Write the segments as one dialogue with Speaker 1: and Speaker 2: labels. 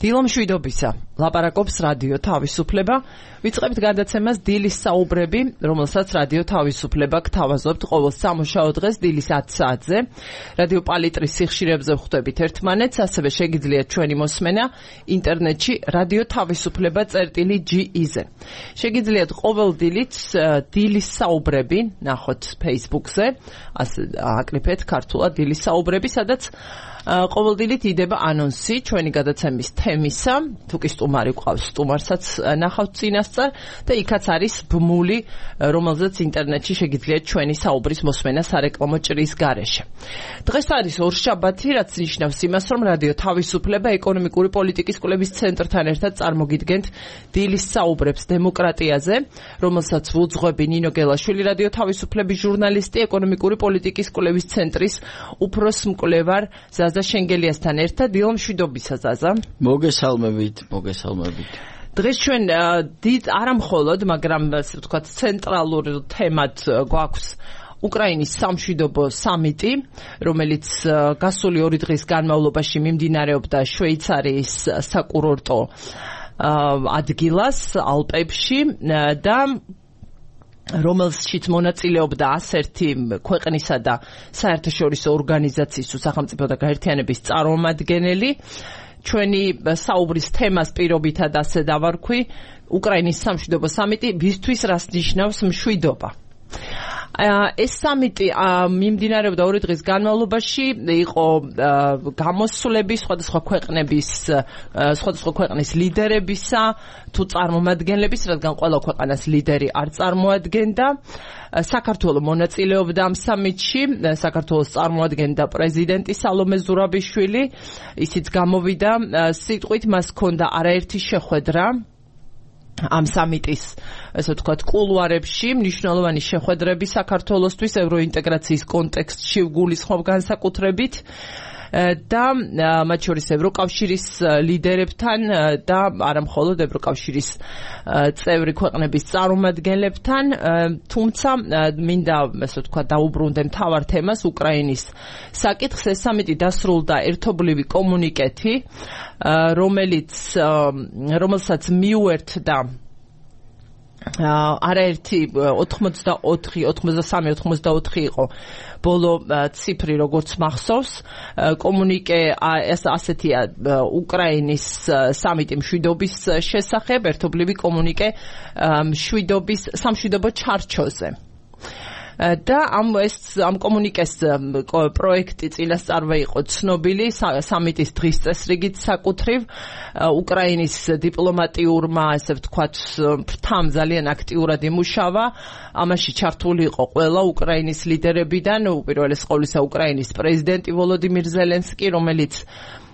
Speaker 1: დილომშვიდობისა, ლაპარაკობს რადიო თავისუფლება. ვიწყებთ გადაცემას დილის საუბრები, რომელსაც რადიო თავისუფლება გთავაზობთ ყოველ სამუშაო დღეს დილის 10 საათზე. რადიო პალიტრის სიხშირებზე ვხვდებით ერთმანეთს, ასევე შეგიძლიათ ჩვენი მოსმენა ინტერნეტში რადიო თავისუფლება.ge-ზე. შეგიძლიათ ყოველ დილით დილის საუბრები ნახოთ Facebook-ზე, ასე აკრიფეთ ქართულად დილის საუბრები, სადაც ყოველდღიურად იდება ანონსი ჩვენი გადაცემის თემისა, თუ კი სტუმარი გვყავს, სტუმარსაც ნახავთ წინასწარ და იქაც არის ბმული, რომელზეც ინტერნეტში შეგიძლიათ ჩვენი საუბრის მოსმენა სარეკლამო ჭრის გარეშე. დღეს არის ორშაბათი, რაც ნიშნავს იმას, რომ რადიო თავისუფლება ეკონომიკური პოლიტიკის კვლევის ცენტრთან ერთად წარმოგიდგენთ დილის საუბრებს დემოკრატიაზე, რომელსაც ვუძღვები ნინო გელაშვილი, რადიო თავისუფლების ჟურნალისტი, ეკონომიკური პოლიტიკის კვლევის ცენტრის უფროს მკვლევარ ზაზა შენგელიასთან ერთად. დილომშვიდობისა ზაზა.
Speaker 2: მოგესალმებით.
Speaker 1: დღეს ჩვენ დიდ არამხოლოდ, მაგრამ ასე ვთქვათ, ცენტრალურ თემად გვაქვს უკრაინის სამშვიდობო სამიტი, რომელიც გასული 2 დღის განმავლობაში მიმდინარეობდა შვეიცარიის საკურორტო ადგილას ალპებში და რომელშიც მონაწილეობდა 101 ქვეყნისა და საერთაშორისო ორგანიზაციის თუ სახელმწიფო და გაერთიანების წარმომადგენელი. ჩვენი საუბრის თემას პირობითად ასე დავარქვი, უკრაინის სამშვიდობო სამიტი ვისთვის რას ნიშნავს მშვიდობა. ეს სამიტი მიმდინარეობდა 2 დღის განმავლობაში, იყო გამოსვლები სხვადასხვა ქვეყნის ლიდერებისა თუ წარმომადგენლების, რადგან ყველა ქვეყანას ლიდერი არ წარმოადგენდა. საქართველოს მონაწილეობდა ამ სამიტში, საქართველოს წარმოადგენდა პრეზიდენტი სალომე ზურაბიშვილი, ისიც გამოვიდა სიტყვით, მას ჰქონდა არაერთი შეხვედრა ამ სამიტის, ესე ვთქვათ, კულუარებში, მნიშვნელოვანი შეხვედრები საქართველოსთვის ევროინტეგრაციის კონტექსტში ვგულისხმობ განსაკუთრებით და მათ შორის ევროკავშირის ლიდერებთან და არამხოლოდ ევროკავშირის წევრი ქვეყნების წარმომადგენლებთან, თუმცა მინდა, ესე ვთქვათ, დაუბრუნდე მთავარ თემას, უკრაინის საკითხს. ეს სამიტი დასრულდა ერთობლივი კომუნიკეტი, რომელსაც მიუერთდა არაერთი 83-84 იყო ბოლო ციფრი, როგორც მახსოვს. კომუნიკე ასეთია უკრაინის სამიტი მშვიდობის შესახებ, ერთობლივი კომუნიკე სამშვიდობო ჩარჩოზე. და ამ კომუნიკეს პროექტი წინასწარვე იყო ცნობილი სამიტის დღის წესრიგით საკუთრივ. უკრაინის დიპლომატიურმა, ასე ვთქვათ, ფრთამ ძალიან აქტიურად იმუშავა. ამაში ჩართული იყო ყველა უკრაინის ლიდერებიდან, უპირველეს ყოვლისა უკრაინის პრეზიდენტი ვოლოდიმირ ზელენსკი, რომელიც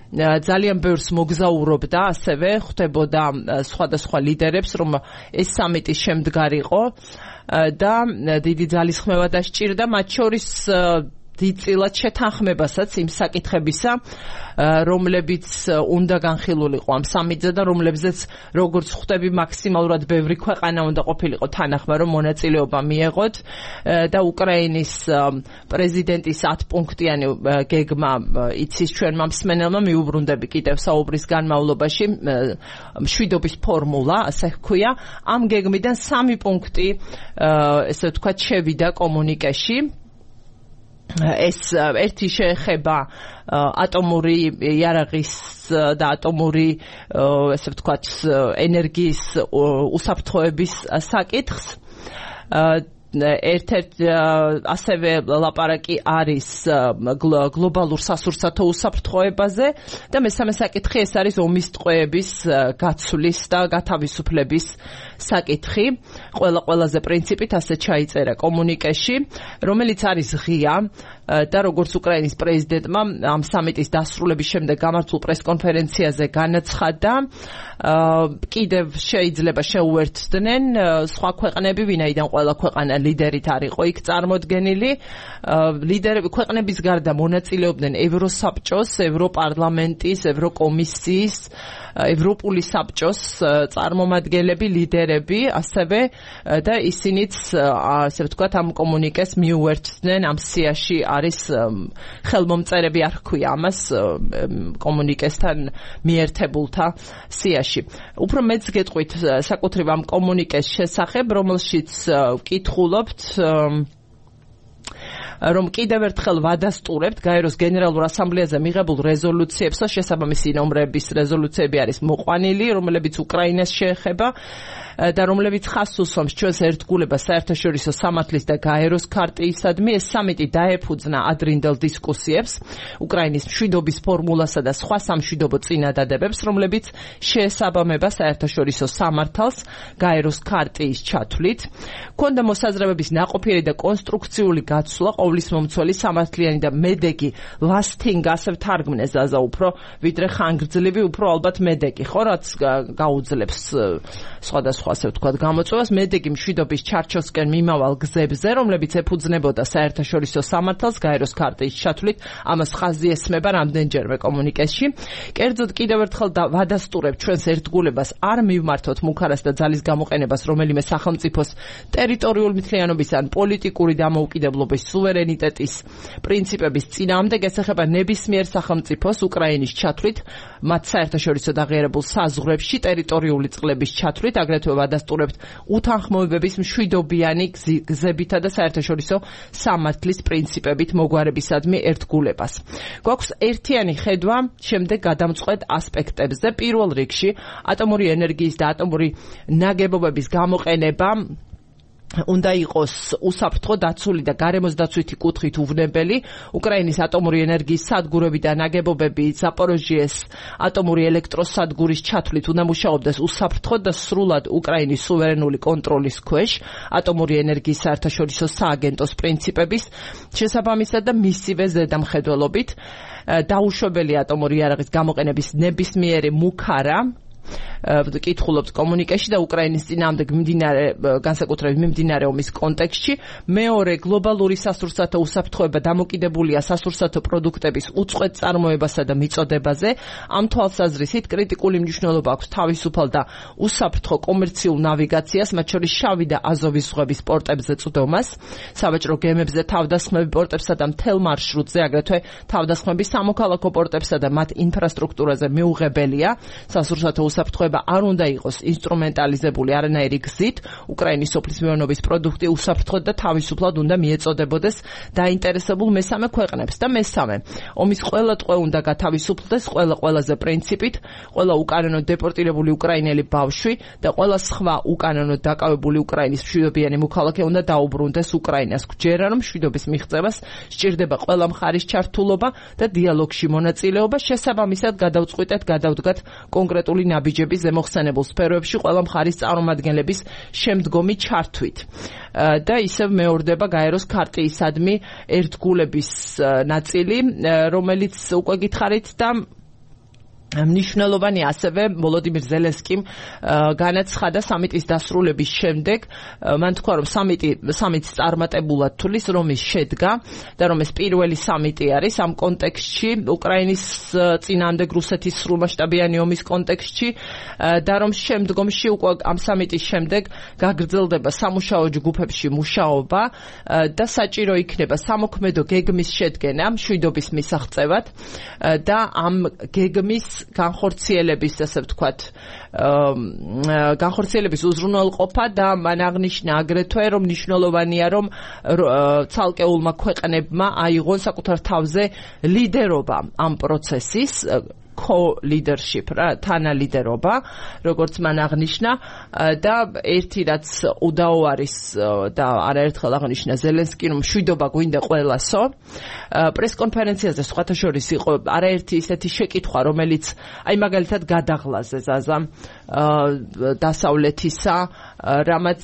Speaker 1: ძალიან ბევრს მოგზაურობდა, ასევე ხვდებოდა სხვადასხვა ლიდერებს, რომ ეს სამიტის შემდგარიყო და დიდი ძალისხმევა დასჭირდა, მათ შორის დიდწილად შეთანხმებასაც იმ საკითხებისა, რომლებიც უნდა განხილულიყო ამ სამიტზე და რომლებზეც, როგორც ხვდები, მაქსიმალურად ბევრი ქვეყანა უნდა ყოფილიყო თანახმა, რომ მონაწილეობა მიეღოთ და უკრაინის პრეზიდენტის 10 პუნქტიანი გეგმა იცის ჩვენმა მსმენელმა, მიუბრუნდები კიდევ საუბრის განმავლობაში, მშვიდობის ფორმულა, ასე ჰქვია. ამ გეგმიდან 3 პუნქტი, ესე ვთქვათ, შევიდა კომუნიკეში. ეს ერთი შეეხება ატომური იარაღის და ატომური, ესე ვთქვათ, ენერგიის უსაფრთხოების საკითხს. ერთ-ერთი ასევე ლაპარაკი არის გლობალურ სასურსათო უსაფრთხოებაზე და მესამე საკითხი ეს არის ომის ტყვეების გაცვლის და გათავისუფლების საკითხი. ყველაზე პრინციპით ასე ჩაიწერა კომუნიკეში, რომელიც არის ღია და როგორც უკრაინის პრეზიდენტმა ამ სამიტის დასრულების შემდეგ გამართულ პრესკონფერენციაზე განაცხადა, კიდევ შეიძლება შეუერთდნენ სხვა ქვეყნები, ვინაიდან ყველა ქვეყანა ერთიან ლიდერით არ იყო იქ წარმოდგენილი. ლიდერები ქვეყნების გარდა მონაწილეობდნენ ევროსაბჭოს, ევროპარლამენტის, ევროკომისიის, ევროპული საბჭოს წარმომადგენლები, ლიდერები, ასევე და ისინიც ასე ვთქვათ ამ კომუნიკეს მიუერთდნენ ამ სიაში არის ხელმომწერები არ ჰქვია ამას კომუნიკესთან მიერთებულთა სიაში. უფრო მეც გეტყვით საკუთრივ ამ კომუნიკეს შესახებ, რომელშიც ვკითხულობთ რომ კიდევ ერთხელ ვადასტურებთ გაეროს გენერალურ ასამბლეაზე მიღებულ რეზოლუციებსა შესაბამისი ნომრების რეზოლუციები არის მოყვანილი, რომლებიც უკრაინას შეეხება და რომლებიც ხაზს უსვამს ჩვენს ერთგულებას საერთაშორისო სამართლის და გაეროს ქარტიისადმი. ეს სამიტი დაეფუძნა ადრინდელ დისკუსიებს უკრაინის მშვიდობის ფორმულასა და სხვა სამშვიდობო წინადადებებს, რომლებიც შეესაბამება საერთაშორისო სამართალს გაეროს ქარტიის ჩათვლით. ქონდა მოსაზრებების ნაყოფიერი და კონსტრუქციული გაცვლა ყოვლისმომცველი სამართლიანი და მედეგი lasting ასე ვთარგმნეს ზაზა უფრო ვიდრე ხანგრძლივი უფრო ალბათ მედეგი ხო რაც გაუძლებს სხვადასხვა ასე ვთქვათ გამოწვევას მედეგი მშვიდობის ჩარჩოსკენ მიმავალ გზებზე, რომლებიც ეფუძნებოდა საერთაშორისო სამართალს გაეროს ქარტიის ჩათვლით. ამას ხაზი ესმება რამდენჯერმე კომუნიკესში. კერძოდ კიდევ ერთხელ ვადასტურებ ჩვენს ერთგულებას არ მივმართოთ მუქარას და ძალის გამოყენებას რომელიმე სახელმწიფოს ტერიტორიული მთლიანობის ან პოლიტიკური დამოუკიდებლობის სუვერენიტეტის პრინციპების წინააღმდეგ. ეს ეხება ნებისმიერ სახელმწიფოს უკრაინის ჩათვლით მათ საერთაშორისო დაღიარებულ საზღვრებში ტერიტორიული წყლების ჩათვლით, აგრეთვე ვადასტურებთ უთანხმოებების მშვიდობიანი გზებითა და საერთაშორისო სამართლის პრინციპებით მოგვარებისადმი ერთგულებას. გვაქვს ერთიანი ხედვა შემდეგ გადამწყვეტ ასპექტებზე. პირველ რიგში ატომური ენერგიის და ატომური ნაგებობების გამოყენება უნდა იყოს უსაფრთხო, დაცული და გარემოს დაცვითი კუთხით უვნებელი. უკრაინის ატომური ენერგიის სადგურები და ნაგებობები ზაპოროჟიეს ატომური ელექტროსადგურის ჩათვლით უნდა მუშაობდეს უსაფრთხო და სრულად უკრაინის სუვერენული კონტროლის ქვეშ ატომური ენერგიის საერთაშორისო სააგენტოს პრინციპების შესაბამისად და მისივე ზედამხედველობით. დაუშვებელი ატომური იარაღის გამოყენების ნებისმიერი მუქარა კითხულობთ კომუნიკეში და უკრაინის წინააღმდეგ განსაკუთრებით მიმდინარე ომის კონტექსტში. მეორე, გლობალური სასურსათო უსაფრთხოება დამოკიდებულია სასურსათო პროდუქტების უწყვეტ წარმოებასა და მიწოდებაზე. ამ თვალსაზრისით კრიტიკული მნიშვნელობა აქვს თავისუფალ და უსაფრთხო კომერციულ ნავიგაციას, მათ შორის შავი და აზოვის ზღვების პორტებზე წვდომას, სავაჭრო გემებზე თავდასხმები პორტებსა და მთელ მარშრუტზე, აგრეთვე თავდასხმები სამოქალაქო პორტებსა და მათ ინფრასტრუქტურაზე მიუღებელია. სასურსათო უსაფრთხოება არ უნდა იყოს ინსტრუმენტალიზებული არანაირი გზით. უკრაინის სოფლის მეურნეობის პროდუქტი უსაფრთხოდ და თავისუფლად უნდა მიეწოდებოდეს დაინტერესებულ მესამე ქვეყნებს. და მესამე, ომის ყველა ტყვე უნდა გათავისუფლდეს ყველაზე პრინციპით, ყველა უკანონოდ დეპორტირებული უკრაინელი ბავშვი და ყველა სხვა უკანონოდ დაკავებული უკრაინის მშვიდობიანი მოქალაქე უნდა დაუბრუნდეს უკრაინას. გვჯერა, რომ მშვიდობის მიღწევას სჭირდება ყველა მხარის ჩართულობა და დიალოგში მონაწილეობა. შესაბამისად გადავდგათ კონკრეტული ნაბიჯების ზემოხსენებულ სფეროებში ყველა მხარის წარმომადგენლების შემდგომი ჩართვით. და ისევ მეორდება გაეროს ქარტიისადმი ერთგულების ნაწილი, რომელიც უკვე გითხარით და მნიშვნელოვანი ასევე ვოლოდიმირ ზელენსკიმ განაცხადა სამიტის დასრულების შემდეგ. მან თქვა, რომ სამიტს წარმატებულად თulis, რომ ის შედგა და რომ ეს პირველი სამიტი არის ამ კონტექსტში, უკრაინის წინააღმდეგ რუსეთის სრულმასშტაბიანი ომის კონტექსტში და რომ შემდგომში უკვე ამ სამიტის შემდეგ გაგრძელდება სამუშაო ჯგუფებში მუშაობა და საჭირო იქნება სამოქმედო გეგმის შედგენა მშვიდობის მისაღწევად და ამ გეგმის განხორციელების, ასე ვთქვათ, განხორციელების უზრუნველყოფა და მან აღნიშნა აგრეთვე, რომ მნიშვნელოვანია, რომ ცალკეულმა ქვეყნებმა აიღონ საკუთარ თავზე ლიდერობა ამ პროცესის, co-leadership, თანალიდერობა, როგორც მან აღნიშნა და ერთი რაც უდაო არის და არაერთხელ აღნიშნა ზელენსკი, რომ მშვიდობა გვინდა ყველასო. პრესკონფერენციაზე სხვათა შორის იყო არაერთი ისეთი შეკითხვა, რომელიც აი მაგალითად გადაღლაზე ზაზა დასავლეთისა, რამაც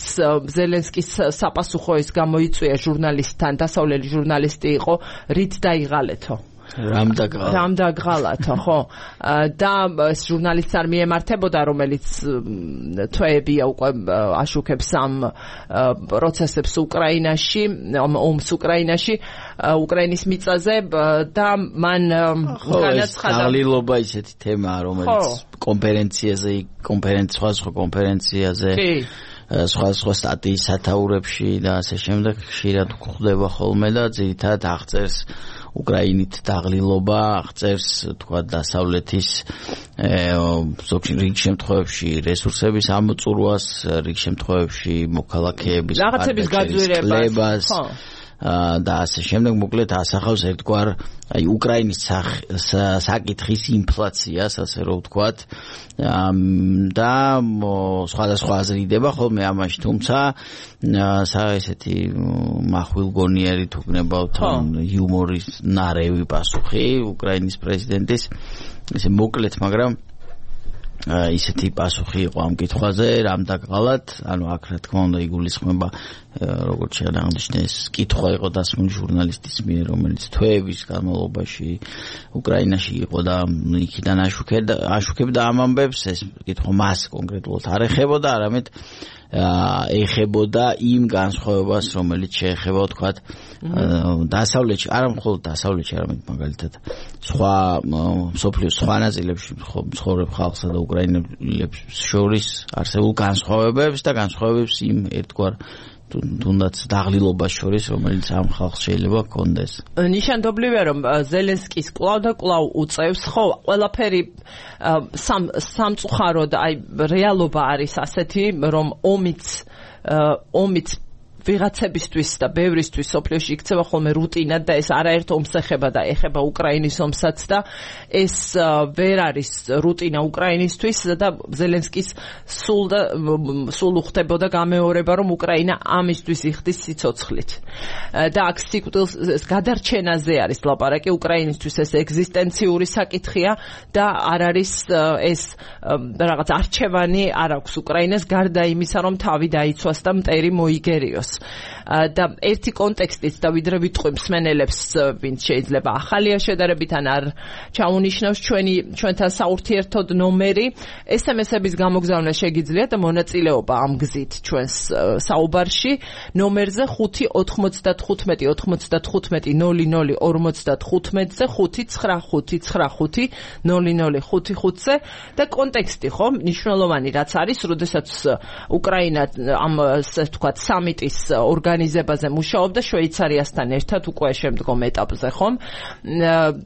Speaker 1: ზელენსკის საფასუხო ის გამოიწვია ჟურნალისტთან, დასავლელი ჟურნალისტი იყო, რით დაიღალეთო. რამ დაგღალათა, ხო? და ჟურნალისტს არ მიემართებოდა, რომელიც თვეებია უკვე აშუქებს ამ პროცესებს უკრაინაში, ომს უკრაინაში, უკრაინის მიწაზე და მან განაცხადა
Speaker 2: დაღლილობა ისეთი თემაა, რომელიც სხვადასხვა კონფერენციაზე სხვა სტატიის სათაურებში და ასე შემდეგ ხშირად გვხვდება ხოლმე და ძირითადად აღწერს უკრაინით დაღლილობა, აღწერს თქვა დასავლეთის რიგ შემთხვევებში რესურსების ამოწურვას, რიგ შემთხვევებში მოქალაქეების
Speaker 1: რაღაცების გაძვირებას
Speaker 2: და ასე შემდეგ მოკლედ ასახავს ერთგვარ აი უკრაინის საკითხის ინფლაციას, ასე რომ ვთქვათ, და სხვადასხვა აზრიდება ხოლმე ამაში, თუმცა ესეთი მახვილგონიერი თუ გნებავთ იუმორის ნარევი პასუხი უკრაინის პრეზიდენტის, ესე მოკლედ, მაგრამ ისეთი პასუხი იყო ამ კითხვაზე, რამ დაგღალათ, ანუ აქ რა თქმა უნდა იგულისხმება როგორც შეადაღნიშნეს, კითხვა იყო დასმული ჟურნალისტის მიერ, რომელიც თვეების განმავლობაში უკრაინაში იყო და იქიდან აშუქებდა ამ ამბებს, ეს კითხვა მას კონკრეტულად არ ეხებოდა, არამედ ეხებოდა იმ განსხვავებას, რომელიც შეეხება, ვთქვათ, დასავლეთში, არა მხოლოდ დასავლეთში, არამედ მაგალითად სხვა მსოფლიოს სხვა ნაწილებში მცხოვრებ ხალხსა და უკრაინელებს შორის არსებულ განსხვავებებს და განსხვავებებს იმ ერთგვარ თუნდაც დაღლილობას შორის, რომელიც ამ ხალხს შეიძლება ჰქონდეს.
Speaker 1: ნიშანდობლივია, რომ ზელენსკის კვლავ და კვლავ უწევს, ხო, ყველაფერი სამწუხაროდ, აი რეალობა არის ასეთი, რომ ომიც ვიღაცებისთვის და ბევრისთვის სოფლიოში იქცევა ხოლმე რუტინად და ეს არაერთ ომს ეხება და ეხება უკრაინის ომსაც და ეს ვერ არის რუტინა უკრაინისთვის და ზელენსკის სულ უხდებოდა გამეორება, რომ უკრაინა ამისთვის იხდის სიცოცხლით. და აქ სიკვდილის გადარჩენაზე არის ლაპარაკი, უკრაინისთვის ეს ეგზისტენციური საკითხია და არ არის ეს რაღაც არჩევანი არ აქვს უკრაინას გარდა იმისა, რომ თავი დაიცვას და მტერი მოიგერიოს. და ერთი კონტექსტით და ვიდრე ვიტყვი მსმენელებს, ვინც შეიძლება ახალია შედარებით ან არ ჩაუნიშნავს ჩვენთან საურთიერთოდ ნომერი, SMS-ების გამოგზავნა შეგიძლიათ და მონაწილეობა ამ გზით ჩვენს საუბარში ნომერზე 5-95-95-00-55-ზე 5-9-5-9-5-5-00-55-ზე და კონტექსტი, ხო, მნიშვნელოვანი რაც არის, როდესაც უკრაინა ამ ვთქვათ სამიტის ორგანიზებაზე მუშაობდა შვეიცარიასთან ერთად უკვე შემდგომ ეტაპზე, ხომ?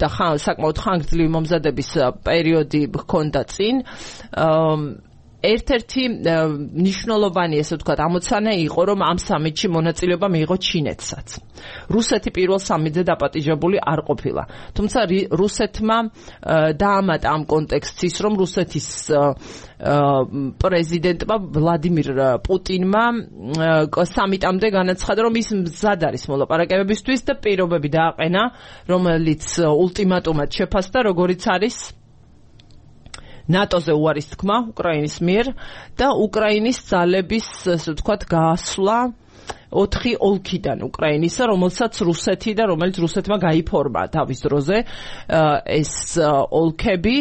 Speaker 1: და საკმაოდ ხანგრძლივი მომზადების პერიოდი ჰქონდა წინ. ერთ-ერთი მნიშვნელოვანი, ესე ვთქვათ, ამოცანა იყო, რომ ამ სამიტში მონაწილეობა მიიღო ჩინეთსაც. რუსეთი პირველ სამიტზე დაპატიჟებული არ ყოფილა. თუმცა რუსეთმა დაამატა ამ კონტექსტს ის, რომ რუსეთის პრეზიდენტმა ვლადიმირ პუტინმა სამიტამდე განაცხადა, რომ ის მზად არის მოლაპარაკებებისთვის და პირობები დააყენა, რომელიც ულტიმატუმად შეფასდა, როგორიც არის ნატოზე უარის თქმა უკრაინის მიერ და უკრაინის ძალების, ასე ვთქვათ, გაასვლა 4 ოლქიდან უკრაინისა, რომელსაც რუსეთი და რომელიც რუსეთმა გაიფორმა თავის დროზე ეს ოლქები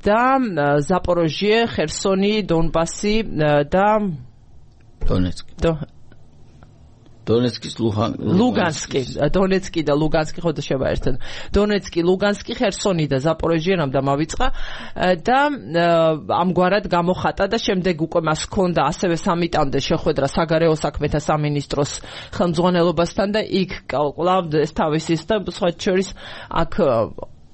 Speaker 1: და ზაპოროჟიე, ხერსონი, დონბასი და
Speaker 2: დონეცკის
Speaker 1: ლუგანსკი, დონეცკი და ლუგანსკი ხოდა შევაერთოთ. დონეცკი, ლუგანსკი, ხერსონი და ზაპოროჟიე დამავიწყა და ამგვარად გამოხატა და შემდეგ უკვე მას ჰქონდა ასევე სამიტამდე შეხვედრა საგარეო საქმეთა სამინისტროს ხელმძღვანელობასთან და იქ კვლავ ეს თავისის და სხვა შორის აქ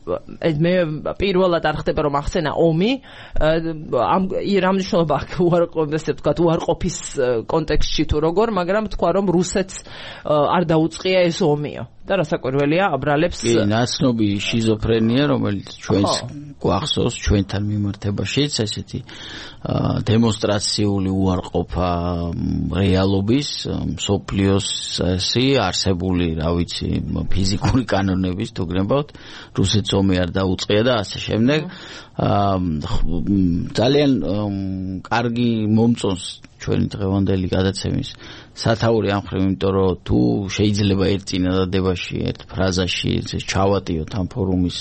Speaker 1: მე პირველად არ ხდება რომ ახსენა ომი ამ რამ მნიშვნელობა აქვს უარყოფის კონტექსტში თუ როგორ, მაგრამ თქვა რომ რუსეთს არ დაუწყია ეს ომიო და რასაკვირველია აბრალებს
Speaker 2: ნაცნობი შიზოფრენია, რომელიც ჩვენს გვახსოვს ჩვენთან მიმართებაშიც, ესეთი დემონსტრაციული უარყოფა რეალობის, მსოფლიოს არსებული, რა ვიცი, ფიზიკური კანონების თუ გნებავთ, რუსეთს ომი არ დაუწყია და ასე შემდეგ. ძალიან კარგი მომწონს ჩვენი დღევანდელი გადაცემის სათაური ამ ხრივ, იმიტომ რომ თუ შეიძლება ერთ წინადადებაში, ერთ ფრაზაში ჩავატიოთ ამ ფორუმის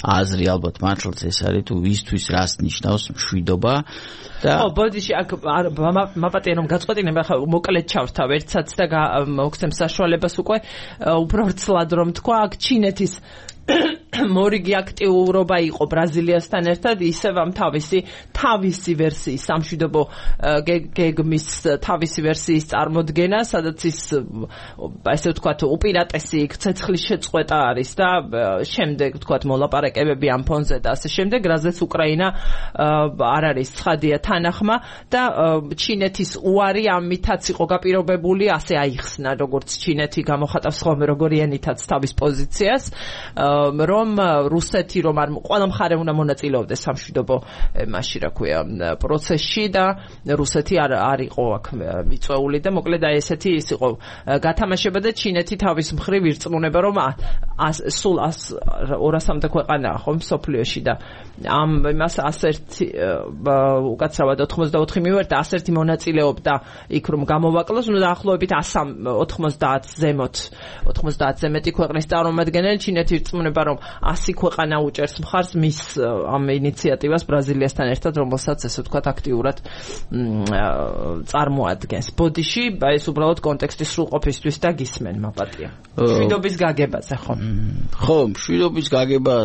Speaker 2: აზრი, ალბათ მართლაც ეს არის, თუ ვისთვის რას ნიშნავს მშვიდობა და
Speaker 1: ბოდიში აქ მაპატია რომ გაწყვეტინება, ხა მოკლედ ჩავთავ ერთსაც და მოგცემ საშუალებას უკვე უფრო ვრცლად რომ თქვა, აქ ჩინეთის მორიგი აქტიურობა იყო ბრაზილიასთან ერთად, ისევ ამ თავისი ვერსიის სამშვიდობო გეგმის თავისი ვერსიის წარმოდგენა, სადაც ის ესე ვთქვათ უპირატესი ცეცხლის შეწყვეტა არის და შემდეგ ვთქვათ მოლაპარაკებები ამ ფონზე და ასე შემდეგ, რაზეც უკრაინა არ არის ცხადია თანახმა და ჩინეთის უარი ამითაც იყო გაპირობებული, ასე აიხსნა, როგორც ჩინეთი გამოხატავს ხოლმე როგორიანითაც თავის პოზიციას, რომ რუსეთი რომ არ ყველა მხარე უნდა მონაწილეობდეს სამშვიდობო მასში, რა ქვია, პროცესში და რუსეთი არ იყო აქ მიწვეული და მოკლედ აი ესეთი ის იყო გათამაშება და ჩინეთი თავის მხრივ ირწმუნება რომ სულ 200-მდე ქვეყანაა ხომ მსოფლიოში და ამ იმას 101 უკაცრავად 84 მივერთა 101 მონაწილეობდა იქ რომ გამოვაკლოს, ნუ დაახლოებით 190 ზემოთ 90-ზე მეტი ქვეყნის წარმომადგენელი, ჩინეთი ირწმუნება რომ 100 ქვეყანა უჭერს მხარს მის ამ ინიციატივას ბრაზილიასთან ერთად, რომელსაც ესე ვთქვათ აქტიურად წარმოადგენს. ბოდიში ეს უბრალოდ კონტექსტის სრულყოფისთვის და გისმენ მაპატია. მშვიდობის გაგებაზე ხო?
Speaker 2: ხო, მშვიდობის გაგება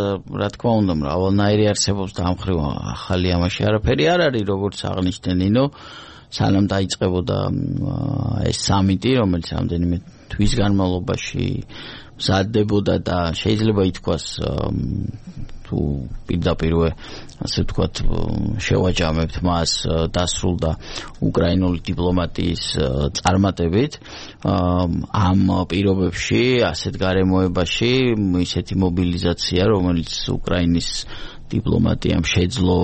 Speaker 2: რა თქმა უნდა მრავალნაირი არსებობს და ამ ხრივ ახალი ამაში არაფერი არ არის, როგორც აღნიშნე ნინო, სანამ დაიწყებოდა ეს სამიტი, რომელიც რამდენიმე თვის განმავლობაში მზადდებოდა და შეიძლება ითქვას თუ პირდაპირვე ასე ვთქვათ შევაჯამებთ მას, დასრულდა უკრაინული დიპლომატიის წარმატებით ამ პირობებში, ასეთ გარემოებაში ისეთი მობილიზაცია, რომელიც უკრაინის დიპლომატიამ შეძლო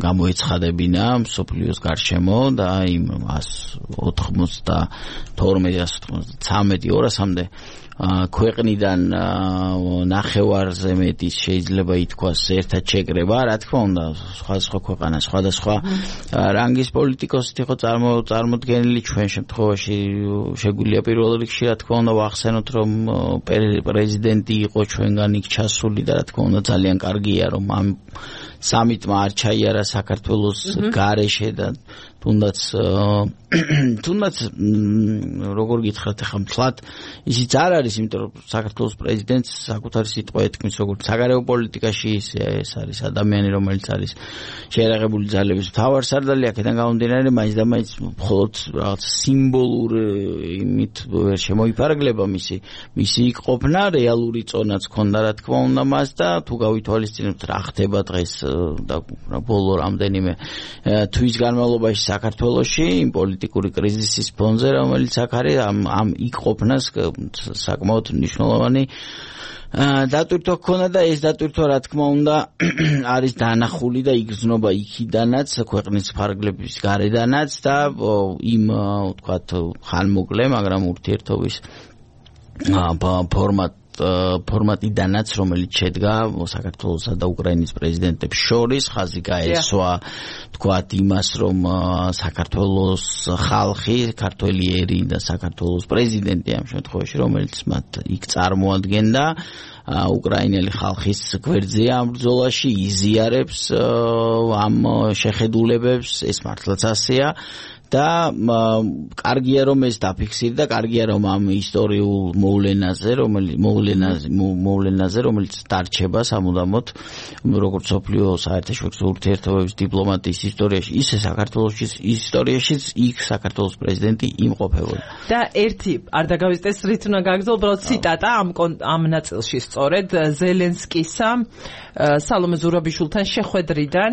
Speaker 2: გამოეცხადებინა მსოფლიოს გარშემო და იმ 192-293-200-მდე ქვეყნიდან ნახევარზე მეტის შეიძლება ითქვას ერთად შეკრება, რა თქმა უნდა, სხვა ქვეყანა, სხვადასხვა რანგის პოლიტიკოსით იყო წარმოდგენილი, ჩვენ შემთხვევაში შეგვიძლია პირველ რიგში, რა თქმა უნდა, ვახსენოთ, რომ პრეზიდენტი იყო ჩვენგან იქ ჩასული და რა თქმა უნდა, ძალიან კარგია, რომ ამ სამიტმა არ ჩაიარა საქართველოს გარეშე და თუნდაც როგორ გითხრათ ახლა მთლად ისიც არ არის, იმიტომ რომ საქართველოს პრეზიდენტს საკუთარი სიტყვა ეთქმის როგორც საგარეო პოლიტიკაში, ეს არის ადამიანი, რომელიც არის შეერაღებული ძალების მთავარსარდალი, აქედან გამომდინარე მაინც და მაინც მხოლოდ რაღაც სიმბოლურ იმით ვერ შემოიფარგლება მისი იქ ყოფნა, რეალური წონაც ჰქონდა რა თქმა უნდა მას და თუ გავითვალისწინებთ რა ხდება დღეს და ბოლო რამდენიმე თვის განმავლობაში საქართველოში იმ პოლიტიკური კრიზისის ფონზე, რომელიც აქ არის, ამ იქ ყოფნას საკმაოდ მნიშვნელოვანი დატვირთვა ჰქონდა და ეს დატვირთვა რა თქმა უნდა არის დანახული და იგრძნობა იქიდანაც, ქვეყნის ფარგლების გარედანაც და იმ ვთქვათ ხანმოკლე, მაგრამ ურთიერთობის ფორმატიდანაც, რომელიც შედგა საქართველოსა და უკრაინის პრეზიდენტებს შორის, ხაზი გაესვა თქვათ იმას, რომ საქართველოს ხალხი, ქართველი ერი და საქართველოს პრეზიდენტი ამ შემთხვევაში, რომელიც მათ იქ წარმოადგენდა, უკრაინელი ხალხის გვერდზე ამ ბრძოლაში იზიარებს ამ შეხედულებებს, ეს მართლაც ასეა. და კარგია რომ ეს დაფიქსირდა, კარგია რომ ამ ისტორიულ მოვლენაზე, რომელიც დარჩება სამუდამოდ, როგორც სოფლიო საერთაშორისო ურთიერთობების დიპლომატიის ისტორიაში, ისე საქართველოს ისტორიაშიც იქ საქართველოს პრეზიდენტი იმყოფებოდა.
Speaker 1: და ერთი არ დაგავიწყდეს რით უნდა გაგრძელო, უბრალოდ ციტატა ამ ნაწილში სწორედ ზელენსკისა სალომე ზურაბიშვილთან შეხვედრიდან,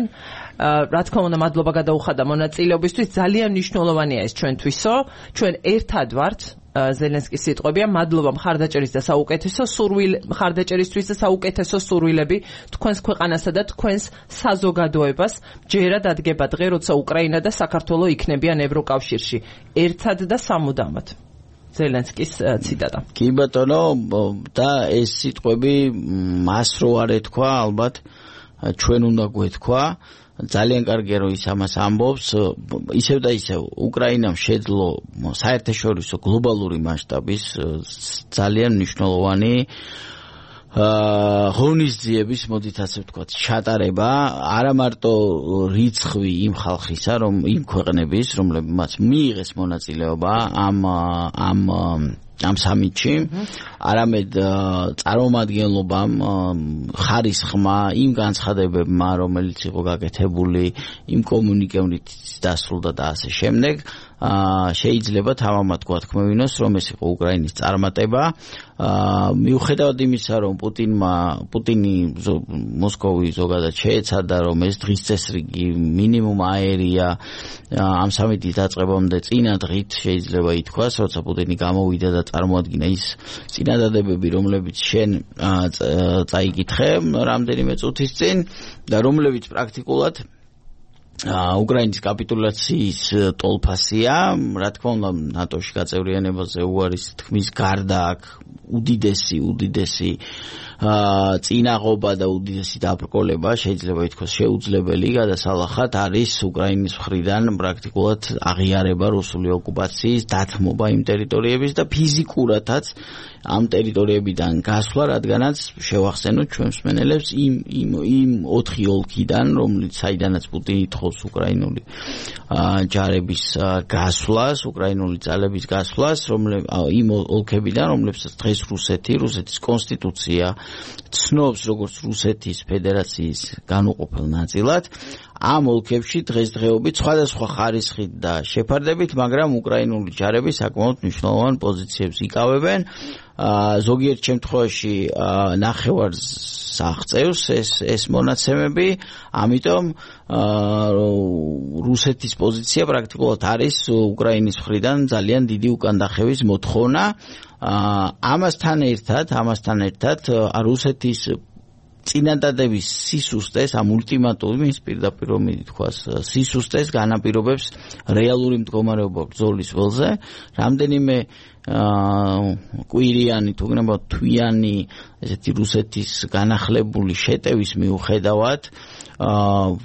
Speaker 1: რა თქმა უნდა მადლობა გადაუხადა მონაწილეობისთვის, ძალიან მნიშვნელოვანია ეს ჩვენთვისო, ჩვენ ერთად ვართ, ზელენსკის სიტყვებია, მადლობა მხარდაჭერის და საუკეთესო მხარდაჭერისთვის და საუკეთესო სურვილები თქვენს ქვეყანასა და თქვენს საზოგადოებას, ჯერად ადგება დღე, როცა უკრაინა და საქართველო იქნებიან ევროკავშირში, ერთად და სამუდამოდ. ზელენსკის ციტატა.
Speaker 2: კი ბატონო, და ეს სიტყვები მას რო არ ეთქვა, ალბათ ჩვენ უნდა გვეთქვა ძალიან კარგია რომ ის ამას ამბობს ისევ და ისევ უკრაინამ შეძლო საერთაშორისო გლობალური მასშტაბის ძალიან მნიშვნელოვანი ღონისძიების მოდით ასე ვთქვათ ჩატარება არა მარტო რიცხვი იმ ხალხისა რომ იმ ქვეყნების რომლებმაც მიიღეს მონაწილეობა ამ სამიტში არამედ წარმომადგენლობამ ხარისხმა იმ განცხადებებმა რომელიც იყო გაკეთებული იმ კომუნიკეებით დასრულდა და ასე შემდეგ შეიძლება თამამად გვათქმევინოს რომ ეს იყო უკრაინის წარმატება მიუხედავად იმისა რომ პუტინი მოსკოვი ზოგადად შეეცადა რომ ეს დღის წესრიგი მინიმუმ აერია ამ სამიტის დაწყებამდე წინა დღით შეიძლება ითქვას როცა პუტინი გამოვიდა და წარმოადგინა ის წინადადებები რომლებიც შენ წაიკითხე რამდენიმე წუთის წინ და რომლებიც პრაქტიკულად უკრაინის კაპიტულაციის ტოლფასია, რა თქმა უნდა, ნატოში გაწევრიანებაზე უარის თქმის გარდა აქ უდიდესი წინაღობა და უდიდესი დაბრკოლება შეიძლება ითქვას შეუძლებელი გადასალახად არის უკრაინის მხრიდან პრაქტიკულად აღიარება რუსული ოკუპაციის დათმობა იმ ტერიტორიების და ფიზიკურადაც ამ ტერიტორიებიდან გასვლა, რადგანაც შევახსენოთ ჩვენს მსმენელებს იმ 4 ოლქიდან, საიდანაც პუტინი თხოვს უკრაინული ჯარების გასვლას, უკრაინული ძალების გასვლას, იმ ოლქებიდან, რომლებსაც დღეს რუსეთის კონსტიტუცია ცნობს როგორც რუსეთის ფედერაციის განუყოფელ ნაწილად, ამ ოლქებში დღესდღეობით სხვადასხვა ხარისხით და შეფარდებით, მაგრამ უკრაინული ჯარები საკმაოდ მნიშვნელოვან პოზიციებს იკავებენ. ზოგიერთ შემთხვევაში ნახევარს აღწევს ეს მონაცემები, ამიტომ რუსეთის პოზიცია პრაქტიკულად არის უკრაინის მხრიდან ძალიან დიდი უკანდახევის მოთხოვნა. ამასთან ერთად რუსეთის წინადადების სისუსტეს ამ ულტიმატუმის პირდაპირ რომ ითქვას სისუსტეს განაპირობებს რეალური მდგომარეობა ბრძოლის ველზე რამდენიმე კვირიანი თუ გნებავ თვიანი ესეთი რუსეთის განახლებული შეტევის მიუხედავად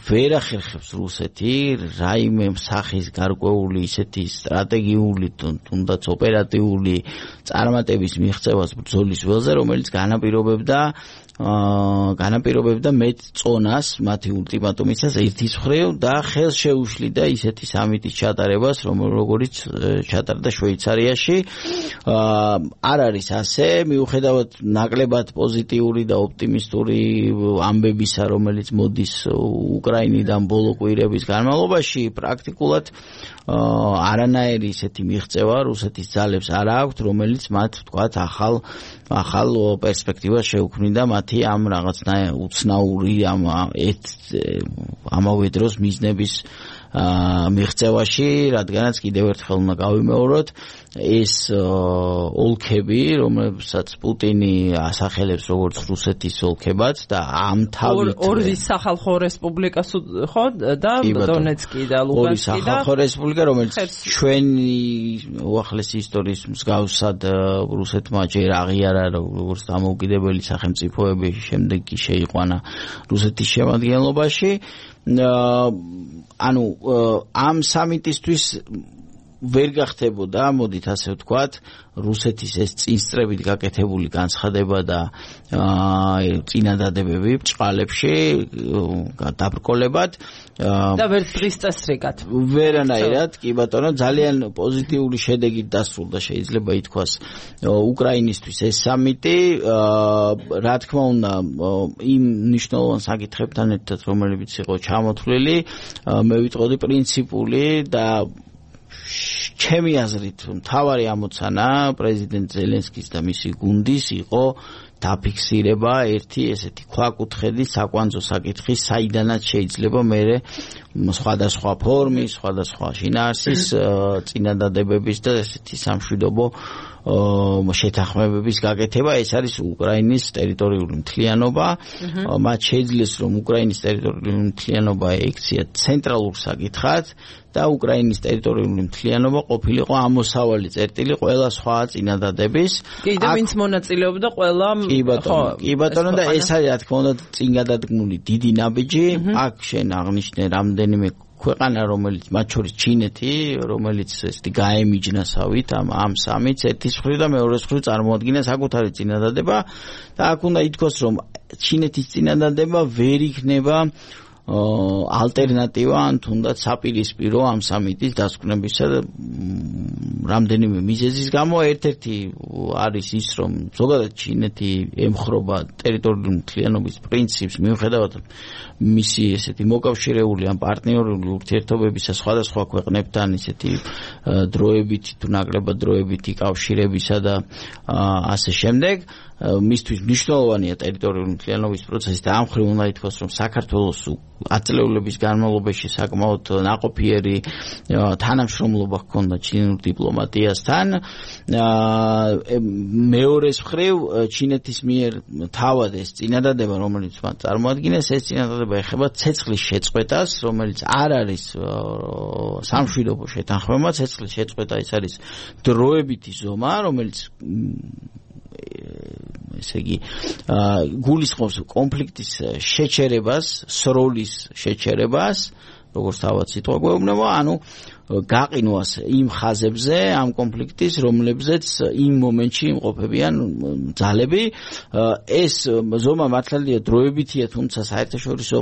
Speaker 2: ვერ ახერხებს რუსეთი რაიმე სახის გარკვეული ისეთი სტრატეგიული თუნდაც ოპერატიული წარმატების მიღწევას ბრძოლის ველზე რომელიც განაპირობებდა მეტ წონას მათი ულტიმატუმისას ერთის მხრივ და ხელს შეუშლიდა ისეთი სამიტის ჩატარებას როგორც ჩატარდა შვეიცარიაში არ არის ასე მიუხედავად ნაკლებად პოზიტიური და ოპტიმისტური ამბებისა რომელიც მოდის უკრაინიდან ბოლო კვირების განმავლობაში პრაქტიკულად არანაირი ისეთი მიღწევა რუსეთის ძალებს არ აქვთ რომელიც მათ თქვათ ახალ პერსპექტივას შეუქმნიდა მათი ამ რაღაცნაირ უცნაური ამავე დროს მიზნების მიღწევაში რადგანაც კიდევ ერთხელ უნდა გავიმეოროთ ეს ოლქები რომლებსაც პუტინი ასახელებს როგორც რუსეთის ოლქებად და ამ თავით
Speaker 1: ორი სახალხო რესპუბლიკას ხო და დონეცკი და ლუგანსკი და ორი
Speaker 2: სახალხო რესპუბლიკა რომელიც ჩვენი უახლესი ისტორიის მსგავსად რუსეთმა ჯერ აღიარა როგორც დამოუკიდებელი სახელმწიფოები შემდეგ კი შეიყვანა რუსეთის შემადგენლობაში ანუ ამ სამიტისთვის ვერ გახდებოდა, მოდით ასე ვთქვათ, რუსეთის ეს წინსწრებით გაკეთებული განცხადება და წინადადებები ბჭყალებში დაბრკოლებად
Speaker 1: და ვერ დღის წესრიგად.
Speaker 2: ვერანაირად, კი ბატონო, ძალიან პოზიტიური შედეგით დასრულდა შეიძლება ითქვას უკრაინისთვის ეს სამიტი, რა თქმა უნდა, იმ მნიშვნელოვან საკითხებთან ერთად, რომლებიც იყო ჩამოთვლილი, მე ვიტყოდი პრინციპული და ჩემი აზრით მთავარი ამოცანა პრეზიდენტ ზელენსკის და მისი გუნდის იყო დაფიქსირება ერთი ესეთი ქვაკუთხედის საკვანძო საკითხის საიდანაც შეიძლება მერე სხვადასხვა ფორმის, სხვადასხვა შინაარსის წინადადებების და ესეთი სამშვიდობო შეთანხმებების გაკეთება, ეს არის უკრაინის ტერიტორიული მთლიანობა. მათ შეძლეს რომ უკრაინის ტერიტორიული მთლიანობა ექცია ცენტრალურ საკითხად და უკრაინის ტერიტორიული მთლიანობა ყოფილიყო ამოსავალი წერტილი ყველა სხვა წინადადების.
Speaker 1: კი და ვინც მონაწილეობდა ყველა
Speaker 2: კი ბატონო და ეს არის რა თქმა უნდა წინ გადადგმული დიდი ნაბიჯი. აქ შენ აღნიშნე რამდენიმე ქვეყანა რომელიც მათ შორის ჩინეთი რომელიც ესეთი გაემიჯნასავით ამ სამიც ერთის მხრივ და მეორეს მხრივ წარმოადგენდა საკუთარი წინადადება და აქ უნდა ითქვას რომ ჩინეთის წინადადება ვერ იქნება ალტერნატივა ან თუნდაც საპირისპირო ამ სამიტის დასკვნებისა და რამდენიმე მიზეზის გამო ერთ-ერთი არის ის რომ ზოგადად ჩინეთი ემხრობა ტერიტორიული მთლიანობის პრინციპს მიუხედავად მისი ესეთი მოკავშირეული ან პარტნიორული ურთიერთობებისა სხვადასხვა ქვეყნებთან ისეთი დროებითი თუ ნაკლებად დროებითი კავშირებისა და ასე შემდეგ მისთვის მნიშვნელოვანია ტერიტორიული მთლიანობის პროცესი და ამ მხრივ უნდა ითქვას რომ საქართველოს ათწლეულების განმავლობაში საკმაოდ ნაყოფიერი თანამშრომლობა ჰქონდა ჩინურ დიპლომატიასთან მეორეს მხრივ ჩინეთის მიერ თავად ეს წინადადება რომელიც მათ წარმოადგენს ეს წინადადება ეხება ცეცხლის შეწყვეტას რომელიც არ არის სამშვიდობო შეთანხმება ცეცხლის შეწყვეტა ეს არის დროებითი ზომა რომელიც ესე იგი გულისხმობს კონფლიქტის შეჩერებას, სროლის შეჩერებას, როგორც თავად სიტყვა გვეუბნება, ანუ გაყინვას იმ ხაზებზე, ამ კონფლიქტის, რომლებზეც იმ მომენტში იმყოფებიან ძალები. ეს ზომა მართალია დროებითია, თუმცა საერთაშორისო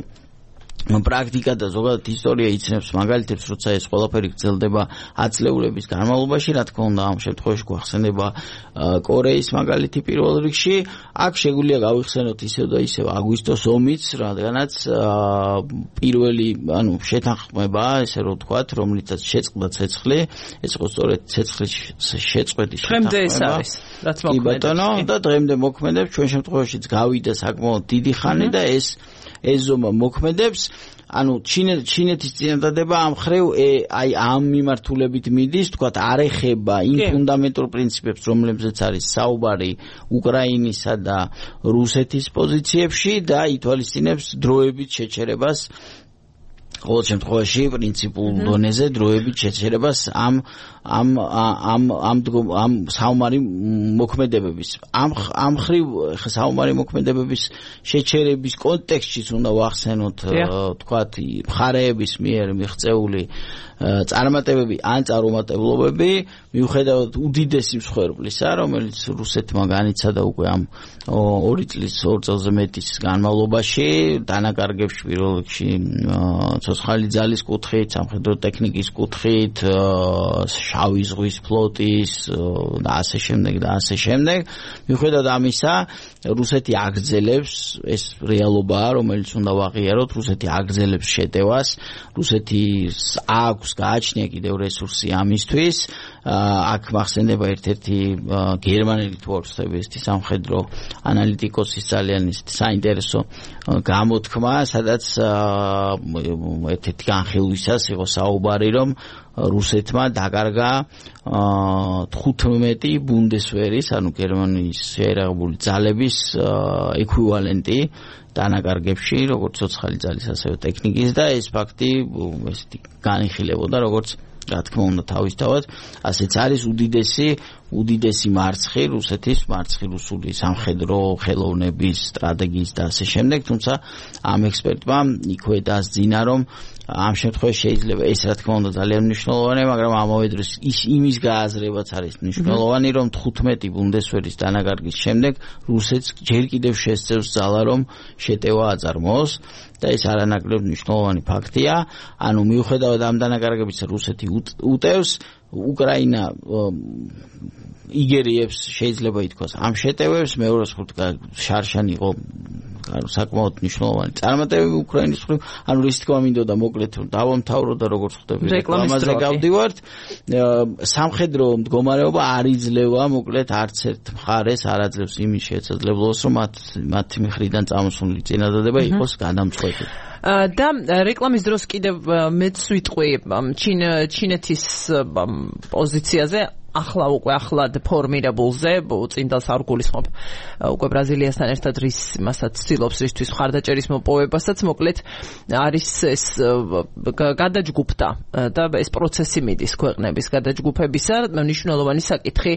Speaker 2: პრაქტიკა და ზოგადად ისტორია იცნობს მაგალითებს, როცა ეს ყველაფერი გრძელდება ათწლეულების განმავლობაში, რა თქმა უნდა, ამ შემთხვევაში გვახსენდება კორეის მაგალითი პირველ რიგში. აქ შეგვიძლია გავიხსენოთ ისევ და ისევ აგვისტოს ომიც, რადგანაც პირველი, ანუ შეთანხმება, ესე რომ ვთქვათ, რომლითაც შეწყდა ცეცხლი, ეს იყო სწორედ ცეცხლის შეწყვეტის შეთანხმება.
Speaker 1: დღემდე ეს არის, რაც მოქმედებს.
Speaker 2: და დღემდე მოქმედებს, ჩვენ შემთხვევაშიც გავიდა საკმაოდ დიდი ხანი და ეს ზომა მოქმედებს, ანუ ჩინეთის წინადადება ამ ხრივ აი ამ მიმართულებით მიდის, თქვათ არ ეხება იმ ფუნდამენტურ პრინციპებს, რომლებზეც არის საუბარი უკრაინისა და რუსეთის პოზიციებში და ითვალისწინებს დროებით შეჩერებას ყოველ შემთხვევაში პრინციპულ დონეზე დროებით შეჩერებას ამ საომარი მოქმედებების ამ ხრივ საომარი მოქმედებების შეჩერების კონტექსტშიც უნდა ვახსენოთ თქვათ მხარეების მიერ მიღწეული წარმატებები ან წარუმატებლობები მიუხედავად უდიდესი მსხვერპლისა რომელიც რუსეთმა განიცადა უკვე ამ 2 წლის 2 წელზე მეტის განმავლობაში დანაკარგებში პირველ რიგში ცოცხალი ძალის კუთხით სამხედრო ტექნიკის კუთხით შავი ზღვის ფლოტის და ასე შემდეგ მიუხედავად ამისა რუსეთი აგრძელებს ეს რეალობაა რომელიც უნდა ვაღიაროთ რუსეთი აგრძელებს შეტევას რუსეთის აქვს გააჩნია კიდევ რესურსი ამისთვის აქ მახსენდება ერთ-ერთი გერმანელი თუ არ ვცდები ესეთი სამხედრო ანალიტიკოსის ძალიან საინტერესო გამოთქმა სადაც ერთ-ერთი განხილვისას იყო საუბარი რომ რუსეთმა დაკარგა 15 ბუნდესვერის ანუ გერმანიის შეერაღებული ძალების ეკვივალენტი დანაკარგებში როგორც ცოცხალი ძალის ასევე ტექნიკის და ეს ფაქტი ესეთი განიხილებოდა როგორც რა თქმა უნდა თავისთავად ასეც არის უდიდესი მარცხი რუსეთის მარცხი რუსული სამხედრო ხელოვნების სტრატეგიის და ასე შემდეგ თუმცა ამ ექსპერტმა იქვე დასძინა რომ ამ შემთხვევაში შეიძლება ეს რა თქმა უნდა ძალიან მნიშვნელოვანია მაგრამ ამავე დროს ის იმის გააზრებაც არის მნიშვნელოვანი რომ 15 ბუნდესვერის დანაკარგის შემდეგ რუსეთს ჯერ კიდევ შესწევს ძალა რომ შეტევა აწარმოოს და ეს არანაკლებ მნიშვნელოვანი ფაქტია ანუ მიუხედავად ამ დანაკარგებისა რუსეთი უტევს უკრაინა იგერიებს შეიძლება ითქვას ამ შეტევებს მეორე შარშან იყო საკმაოდ მნიშვნელოვანი წარმატებები უკრაინის მხრივ ანუ ის თქმა მინდოდა მოკლედ რომ დავამთავრო და როგორც ხვდები რეკლამაზე გავდივართ სამხედრო მდგომარეობა არ იძლევა მოკლედ არც ერთ მხარეს არ აძლევს იმის შესაძლებლობას რომ მათი მხრიდან წამოსული წინადადება იყოს გადამწყვეტი
Speaker 1: და რეკლამის დროს კიდევ მეც ვიტყვი ჩინეთის პოზიციაზე ახლა უკვე ახლად ფორმირებულზე წინდალს არ გულისხმობ უკვე ბრაზილიასთან ერთად რის მასაც ცდილობს რისთვის მხარდაჭერის მოპოვებასაც მოკლედ არის ეს გადაჯგუფდა და ეს პროცესი მიდის ქვეყნების გადაჯგუფებისა მნიშვნელოვანი საკითხი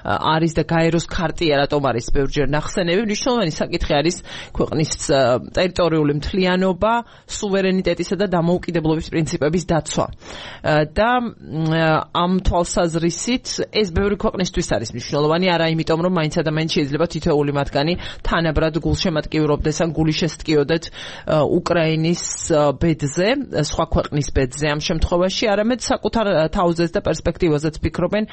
Speaker 1: არის და გაეროს ქარტია რატომ არის ბევრჯერ ნახსენები მნიშვნელოვანი საკითხი არის ქვეყნის ტერიტორიული მთლიანობა სუვერენიტეტისა და დამოუკიდებლობის პრინციპების დაცვა და ამ თვალსაზრისით ეს ბევრი ქვეყნისთვის არის მნიშვნელოვანი არა იმიტომ რომ მაინც ადამიანს შეიძლება თითოეული მათგანი თანაბრად გულშემატკივრობდეს ან გული შესტკიოდეთ უკრაინის ბედზე სხვა ქვეყნის ბედზე ამ შემთხვევაში არამედ საკუთარ თავზეც და პერსპექტივაზეც ფიქრობენ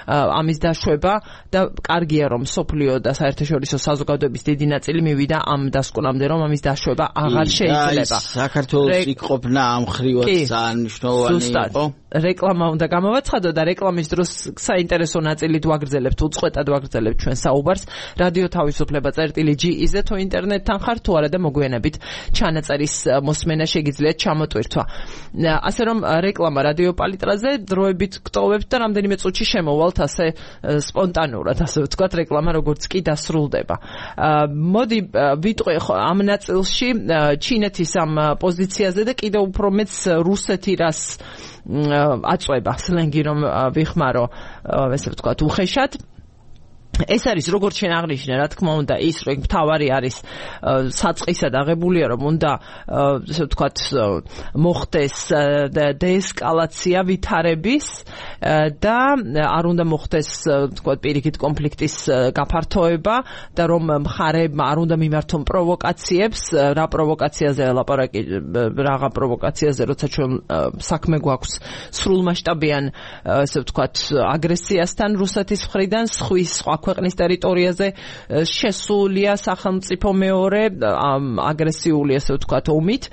Speaker 1: ამის დაშვება და კარგია რომ სოფლიო და საერთაშორისო საზოგადოების დიდი ნაწილი მივიდა ამ დასკვნამდე რომ ამის დაშვება აღარ შეიძლება
Speaker 2: საქართველოს იქ ყოფნა ამ ხრივად ძალიან მნიშვნელოვანი იყო
Speaker 1: რეკლამა უნდა გამოვაცხადო და რეკლამის დროს საინტერესო ნაწილი ვაგრძელებთ უწყვეტად ვაგრძელებთ ჩვენ საუბარს რადიო თავისუფლება წერტილი.ge-ზე თუ ინტერნეტთან ხართ თუ არა და მოგვიანებით ჩანაწერის მოსმენა შეგიძლიათ ჩამოტვირთვა ასე რომ რეკლამა რადიო პალიტრაზე დროებით გტოვებთ და რამდენიმე წუთში შემოვალთ ასე სპონტანურად ასე ვთქვათ რეკლამა როგორც კი დასრულდება მოდი ვიტყვი ამ ნაწილში ჩინეთის ამ პოზიციაზე და კიდევ უფრო მეც რუსეთი რას აწვება სლენგი რომ ვიხმარო ესე ვთქვათ უხეშად ეს არის როგორც შენ აღნიშნე რა თქმა უნდა ის რომ მთავარი არის საწყისად აღებულია რომ უნდა ესე ვთქვათ მოხდეს დეესკალაცია ვითარების და არ უნდა მოხდეს ვთქვათ პირიქით კონფლიქტის გაფართოება და რომ მხარეებმა არ უნდა მიმართონ პროვოკაციებს რა პროვოკაციაზე ლაპარაკი რაღა პროვოკაციაზე როცა ჩვენ საქმე გვაქვს სრულმასშტაბიან ესე ვთქვათ აგრესიასთან რუსეთის მხრიდან სხვა ქვეყნის ტერიტორიაზე შესულია სახელმწიფო მეორე აგრესიული ასე ვთქვათ ომით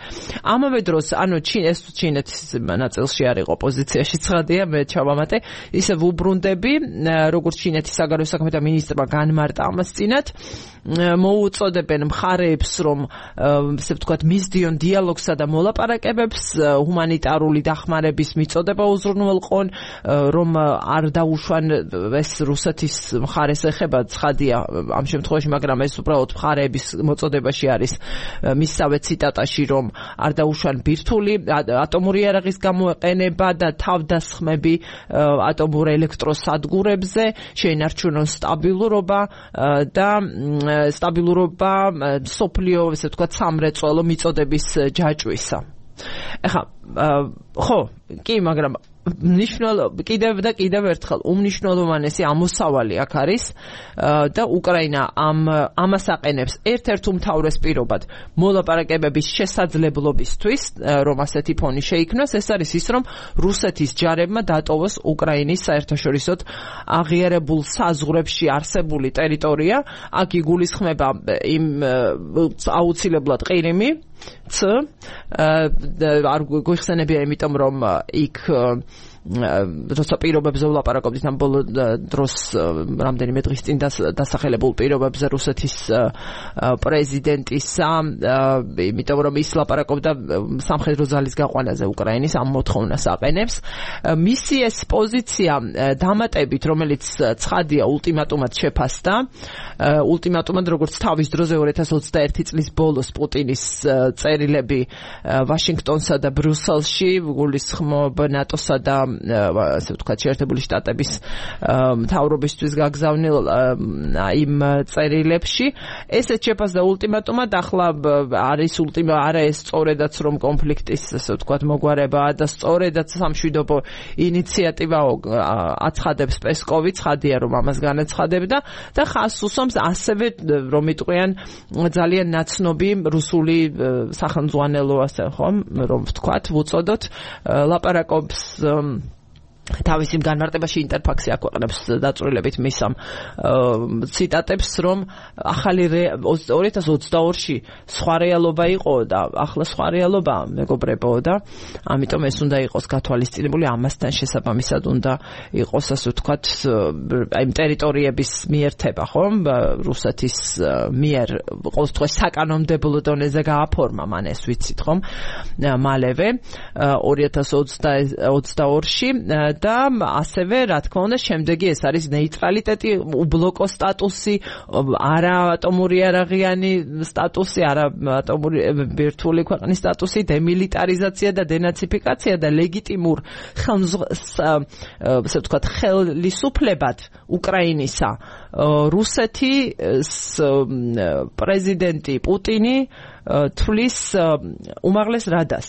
Speaker 1: ამავე დროს ანუ ჩინეთის ნაწილში არ იყო პოზიციაში ცხადია მე ჩავამატე ისე ვუბრუნდები როგორც ჩინეთის საგარეო საქმეთა მინისტრმა განმარტა ამას წინათ მოუწოდებენ მხარეებს რომ ასე ვთქვათ მისდიონ დიალოგსა და მოლაპარაკებებს ჰუმანიტარული დახმარების მიწოდება უზრუნველყონ რომ არ დაუშვან ეს რუსეთის მხარეს ეხება ცხადია ამ შემთხვევაში მაგრამ ეს უბრალოდ მხარეების მოწოდებაში არის მისსავე ციტატაში რომ არ დაუშვან ბირთვული ატომური იარაღის გამოყენება და თავდასხმები ატომურ ელექტროსადგურებზე შეინარჩუნონ სტაბილურობა და სტაბილურობა სოფლიო ესე ვთქვათ სამრეწველო მიწოდების ჯაჭვისა ეხლა ხო კი მაგრამ კიდევ ერთხელ უმნიშვნელოვანესი ამოსავალი აქ არის და უკრაინა ამას აყენებს ერთ-ერთ უმთავრეს პირობად მოლაპარაკებების შესაძლებლობისთვის რომ ასეთი ფონი შეიქმნას ეს არის ის რომ რუსეთის ჯარებმა დატოვოს უკრაინის საერთაშორისო აღიარებულ საზღვრებში არსებული ტერიტორია აქ იგულისხმება იმ აუცილებლად ყირიმი არ გვიხსენებია იმიტომ რომ იქ როცა პირობებზე ვლაპარაკობთ ამ ბოლო დროს რამდენიმე დღის წინ დასახელებულ პირობებზე რუსეთის პრეზიდენტისა იმიტომ რომ ის ლაპარაკობდა სამხედრო ძალის გაყვანაზე უკრაინის ამ მოთხოვნას აყენებს მისი ეს პოზიცია დამატებით რომელიც ცხადია ულტიმატუმად შეფასდა ულტიმატუმად როგორც თავის დროზე 2021 წლის ბოლოს პუტინის წერილები ვაშინგტონსა და ბრიუსელში გულისხმობ ნატოსა და ასე ვთქვათ შეერთებული შტატების მთავრობისთვის გაგზავნილ იმ წერილებში ესეც შეფასდა ულტიმატუმად ახლა არის არა ეს სწორედაც რომ კონფლიქტის ასე ვთქვათ მოგვარებაა და სწორედაც სამშვიდობო ინიციატივა აცხადებს პესკოვი ცხადია რომ ამას განაცხადებდა და ხაზს უსვამს ასევე რომ იტყვიან ძალიან ნაცნობი რუსული სახელმძღვანელო ასე ხომ რომ ვთქვათ ვუწოდოთ ლაპარაკობს თავის იმ განმარტებაში ინტერფაქსი აქვეყნებს დაწვრილებით მის ამ ციტატებს რომ ახალი 2022-ში სხვა რეალობა იყო და ახლა სხვა რეალობა მეგობრებო და ამიტომ ეს უნდა იყოს გათვალისწინებული ამასთან შესაბამისად უნდა იყოს ასე ვთქვათ აი ტერიტორიების მიერთება ხომ რუსეთის მიერ ყოველთვის საკანონმდებლო დონეზე გააფორმა მან ეს ვიცით ხომ მალევე 2022-ში და ასევე რა თქმა უნდა შემდეგი ეს არის ნეიტრალიტეტი, უბლოკო სტატუსი, არა ატომური არაღიანი სტატუსი, არა ატომური ბირთვული ქვეყნის სტატუსი, დემილიტარიზაცია და დენაციფიკაცია და ლეგიტიმურ ასე ვთქვათ ხელისუფლებად უკრაინისა რუსეთის პრეზიდენტი პუტინი თვლის უმაღლეს რადას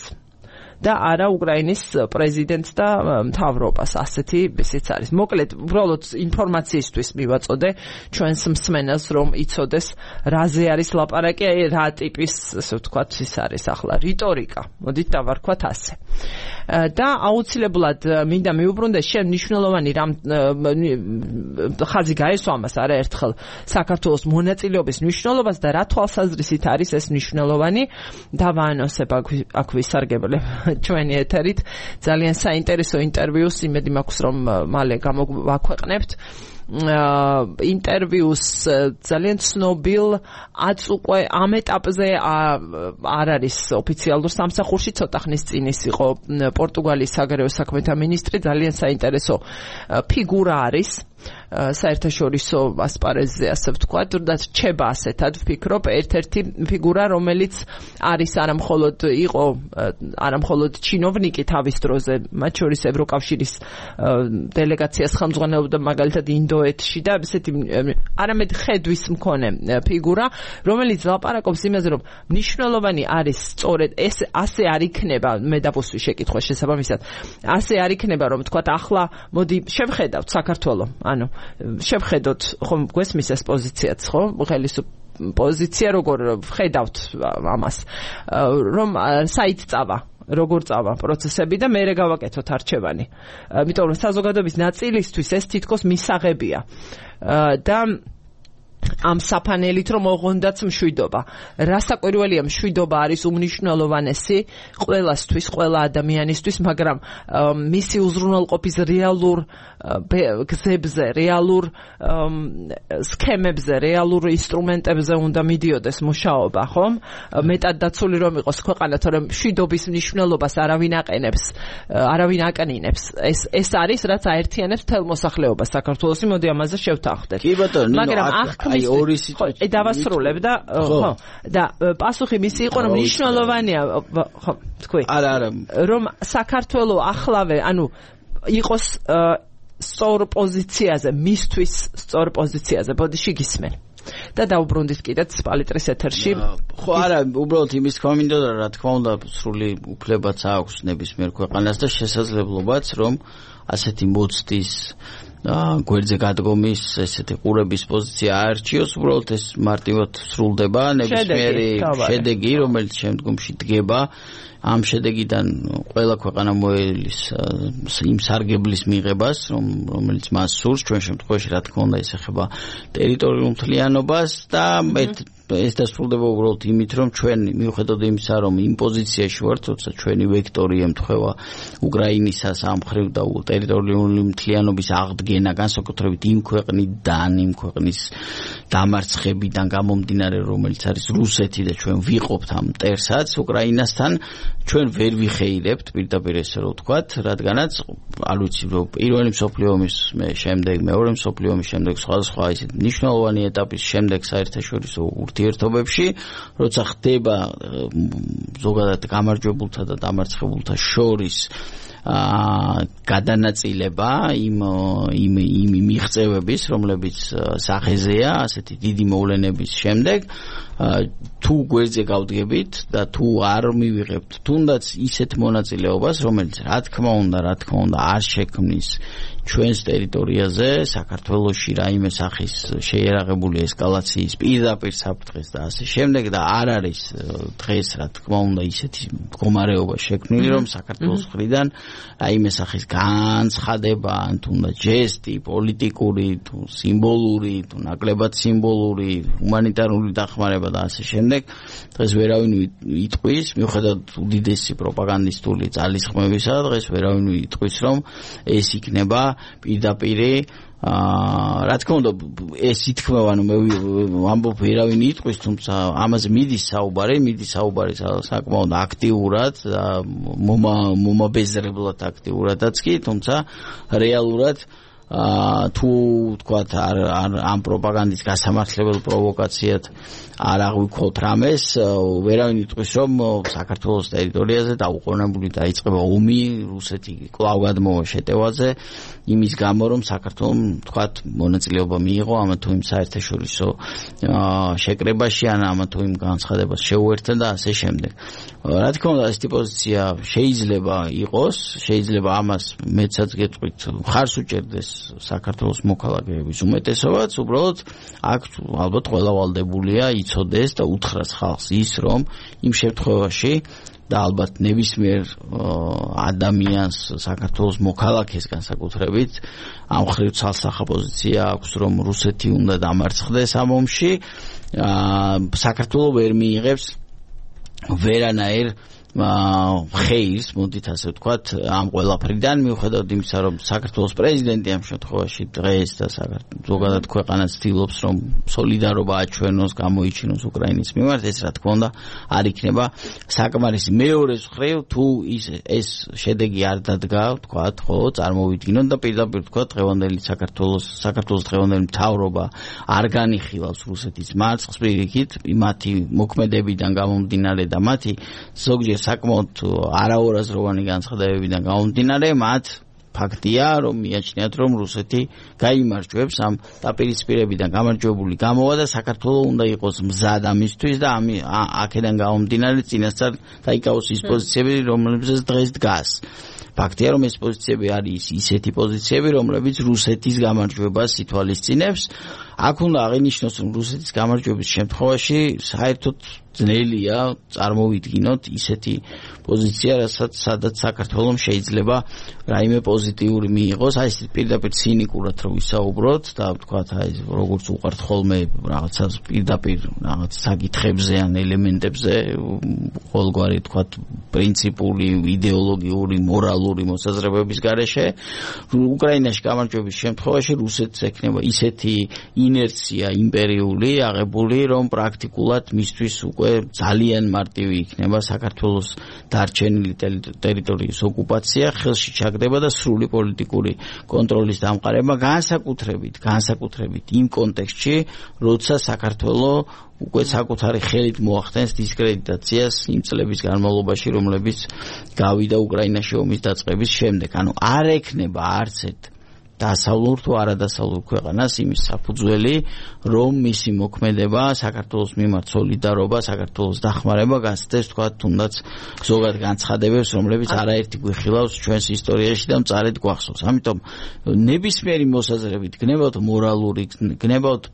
Speaker 1: და არა უკრაინის პრეზიდენტს და მთავრობას, ასეთი ისიც არის. მოკლედ, უბრალოდ ინფორმაციისთვის მივაწოდე ჩვენს მსმენელს, რომ იცოდეს, რაზე არის ლაპარაკი, რა ტიპის, ასე ვთქვათ, ის არის ახლა რიტორიკა. მოდით დავარქვათ ასე. და აუცილებლად მინდა მიუბრუნდეს შენ მნიშვნელოვანი რამ ხაზი გაესვა ამას არაერთხელ საქართველოს მონაწილეობის მნიშვნელობას და რა თვალსაზრისით არის ეს მნიშვნელოვანი დავაანონსებ აქ ვისარგებლებ ჩვენი ეთერით ძალიან საინტერესო ინტერვიუს იმედი მაქვს რომ მალე გამოვაქვეყნებთ ინტერვიუს ძალიან ცნობილ უკვე ამ ეტაპზე არ არის ოფიციალურ სამსახურში ცოტა ხნის წინ ის იყო პორტუგალიის საგარეო საქმეთა მინისტრი ძალიან საინტერესო ფიგურა არის საერთაშორისო ასპარეზზე ასე ვთქვათ და რჩება ასეთად ვფიქრობ ერთ-ერთი ფიგურა რომელიც არის არა მხოლოდ ჩინოვნიკი თავის დროზე მათ შორის ევროკავშირის დელეგაციას ხელმძღვანელობდა მაგალითად ინდოეთში და ესეთი არამედ ხედვის მქონე ფიგურა რომელიც ლაპარაკობს იმაზე რომ მნიშვნელოვანი არის სწორედ ეს ასე არ იქნება მე დავუსვი შეკითხვა შესაბამისად ასე არ იქნება რომ ვთქვათ ახლა მოდი შევხედავთ საქართველოს ანუ შევხედოთ ხომ გვესმის ეს პოზიციაც ხო პოზიცია როგორ ხედავთ ამას რომ საით წავა როგორ წავა პროცესები და მე გავაკეთოთ არჩევანი იმიტომ რომ საზოგადოების ნაწილისთვის ეს თითქოს მისაღებია და ამ საფანელით რომ ოღონდაც მშვიდობა. რასაკვირველია მშვიდობა არის უმნიშვნელოვანესი ყველასთვის, ყველა ადამიანისთვის, მაგრამ მისი უზრუნველყოფის რეალურ გზებზე, რეალურ სქემებზე, რეალურ ინსტრუმენტებზე უნდა მიდიოდეს მუშაობა, ხომ? მეტად დაცული რომ იყოს ქვეყანა, თორემ მშვიდობის მნიშვნელობას არავინ აკნინებს. ეს არის რაც აერთიანებს მთელ მოსახლეობას საქართველოს. მოდი ამაზე შევთანხმდეთ.
Speaker 2: კი ბატონო,
Speaker 1: მაგრამ
Speaker 2: აი ორი სიტყვით
Speaker 1: დავასრულებ და ხო და პასუხი მისი იყო რომ მნიშვნელოვანია ხო თქვი
Speaker 2: არა
Speaker 1: რომ საქართველოს ახლავე ანუ იყოს სწორ პოზიციაზე მისთვის სწორ პოზიციაზე ბოდიში გისმენ და დაუბრუნდით კიდეც პალიტრის ეთერში
Speaker 2: ხო არა უბრალოდ იმის თქვა მინდოდა რა თქმა უნდა სრული უფლებაც აქვს ნებისმიერ ქვეყანას და შესაძლებლობაც რომ ასეთი მოცდის გვერდზე გადგომის ესეთი ყურების პოზიცია აერჩიოს უბრალოდ ეს მარტივად სრულდება ნებისმიერი შედეგი რომელიც შემდგომში დგება ამ შედეგიდან ყველა ქვეყანა მოელის იმ სარგებლის მიღებას რომელიც მას სურს ჩვენ შემთხვევაში რა თქმა უნდა ისეხება ტერიტორიულ მთლიანობას და ეს დასრულდება უბრალოდ იმით რომ ჩვენ მიუხედავად იმისა რომ იმ პოზიციაში ვართ თორსა ჩვენი ვექტორი ემთხვევა უკრაინისას ამ მხრივ და ტერიტორიული მთლიანობის აღდგენა განსაკუთრებით იმ ქვეყნიდან იმ ქვეყნის დამარცხებიდან გამომდინარე რომელიც არის რუსეთი და ჩვენ ვიყოფთ ამ მტერსაც უკრაინასთან ჩვენ ვერ ვიხეირებთ პირდაპირ ესე რომ ვთქვათ რადგანაც არ ვიცი რომ პირველი მსოფლიო ომის შემდეგ მეორე მსოფლიო ომის შემდეგ სხვადასხვა ისეთ მნიშვნელოვანი ეტაპის შემდეგ საერთაშორისო ურთიერთობებში როცა ხდება ზოგადად გამარჯვებულთა და დამარცხებულთა შორის გადანაწილება იმ მიღწევების რომლებიც სახეზეა ასეთი დიდი მოვლენების შემდეგ თუ გვერდზე გავდგებით და თუ არ მივიღებთ თუნდაც ისეთ მონაწილეობას რომელიც რა თქმა უნდა არ შექმნის ჩვენს ტერიტორიაზე საქართველოში რაიმე სახის შეიარაღებული ესკალაციის პირდაპირ საფრთხეს და ასე შემდეგ და არ არის დღეს რა თქმა უნდა ისეთი მდგომარეობა შექმნილი რომ საქართველოს მხრიდან რაიმე სახის განცხადება ან თუნდაც ჯესტი პოლიტიკური თუ სიმბოლური თუ ნაკლებად სიმბოლური ჰუმანიტარული დახმარება და ასე შემდეგ დღეს ვერავინ იტყვის მიუხედავად უდიდესი პროპაგანდისტული ძალისხმევისა დღეს ვერავინ იტყვის რომ ეს იქნება პირდაპირი რა თქმა უნდა ეს ითქმება ანუ მე ამბობ ვერავინ იტყვის თუმცა ამაზე მიდის საუბარი საკმაოდ აქტიურად მომაბეზრებლად აქტიურადაც კი თუმცა რეალურად თუ თქვათ ამ პროპაგანდის გასამართლებელ პროვოკაციად არ აღვიქოთ რამეს ვერავინ იტყვის რომ საქართველოს ტერიტორიაზე დაუყოვნებლივ დაიწყება ომი რუსეთი კვლავ გადმოვა შეტევაზე იმის გამო რომ საქართველოს თქვათ მონაწილეობა მიიღო ამა თუ იმ საერთაშორისო შეკრებაში ან ამა თუ იმ განცხადებას შეუერთდა და ასე შემდეგ რა თქმა უნდა ეს პოზიცია შეიძლება იყოს შეიძლება ამას მეცაც გეტყვით ხარს უჭერდეს საქართველოს მოქალაქეების უმეტესობაც უბრალოდ აქ ალბათ ყველა ვალდებულია იცოდეს და უთხრას ხალხს ის რომ იმ შემთხვევაში და ალბათ ნებისმიერ ადამიანს საქართველოს მოქალაქეს განსაკუთრებით ამ ხრივ ცალსახა პოზიცია აქვს რომ რუსეთი უნდა დამარცხდეს ამ ომში საქართველო ვერ მიიღებს ვერანაირ ხეირს მოდით ასე ვთქვათ ამ ყველაფრიდან მიუხედავად იმისა რომ საქართველოს პრეზიდენტი ამ შემთხვევაში დღეს და ზოგადად ქვეყანა ცდილობს რომ სოლიდარობა აჩვენოს გამოიჩინოს უკრაინის მიმართ ეს რა თქმა უნდა არ იქნება საკმარისი მეორე მხრივ თუ ეს შედეგი არ დადგა ვთქვათ ხო წარმოვიდგინოთ და პირდაპირ ვთქვათ დღევანდელი საქართველოს დღევანდელი მთავრობა არ განიხილავს რუსეთის მარცხს პირიქით მათი მოქმედებიდან გამომდინარე და მათი ზოგჯერ საკმაოდ არაორაზროვანი განცხადებებიდან გამომდინარე მათ ფაქტია რომ მიაჩნიათ რომ რუსეთი გაიმარჯვებს ამ დაპირისპირებიდან გამარჯვებული გამოვა და საქართველოს უნდა იყოს მზად ამისთვის და აქედან გამომდინარე წინასწარ დაიკავოს ის პოზიციები რომლებზეც დღეს დგას ფაქტია რომ ეს პოზიციები არის ისეთი პოზიციები რომლებიც რუსეთის გამარჯვებას ითვალისწინებს აქ უნდა აღინიშნოს რომ რუსეთის გამარჯვების შემთხვევაში საერთოდ ძნელია წარმოვიდგინოთ ისეთი პოზიცია სადაც საქართველოს შეიძლება რაიმე პოზიტიური მიიღოს აი ეს პირდაპირ ცინიკურად რომ ვისაუბროთ და ვთქვათ აი როგორც უყართ ხოლმე რაღაცა პირდაპირ რაღაც საკითხებზე ან ელემენტებზე ყოველგვარი ვთქვათ პრინციპული იდეოლოგიური მორალური მოსაზრებების გარეშე უკრაინაში გამარჯვების შემთხვევაში რუსეთს ექნება ისეთი ინერცია იმპერიული აღებული რომ პრაქტიკულად მისთვის უკვე ძალიან მარტივი იქნება საქართველოს დარჩენილი ტერიტორიის ოკუპაცია ხელში ჩაგდება და სრული პოლიტიკური კონტროლის დამყარება განსაკუთრებით იმ კონტექსტში როცა საქართველოს უკვე საკუთარი ხელით მოახდენს დისკრედიტაციას იმ წლების განმავლობაში რომლებიც გავიდა უკრაინაში ომის დაწყების შემდეგ ანუ არ ექნება არც ერთ დასავლურ თუ არადასავლურ ქვეყანას იმის საფუძველი რომ მისი მოქმედება საქართველოს მიმართ სოლიდარობა საქართველოს დახმარება გასცეს თქვა თუნდაც ზოგად განცხადებებს რომლებიც არაერთი გვიხილავს ჩვენს ისტორიაში და მწარედ გვახსოვს ამიტომ ნებისმიერი მოსაზრებით გნებავთ მორალური გნებავთ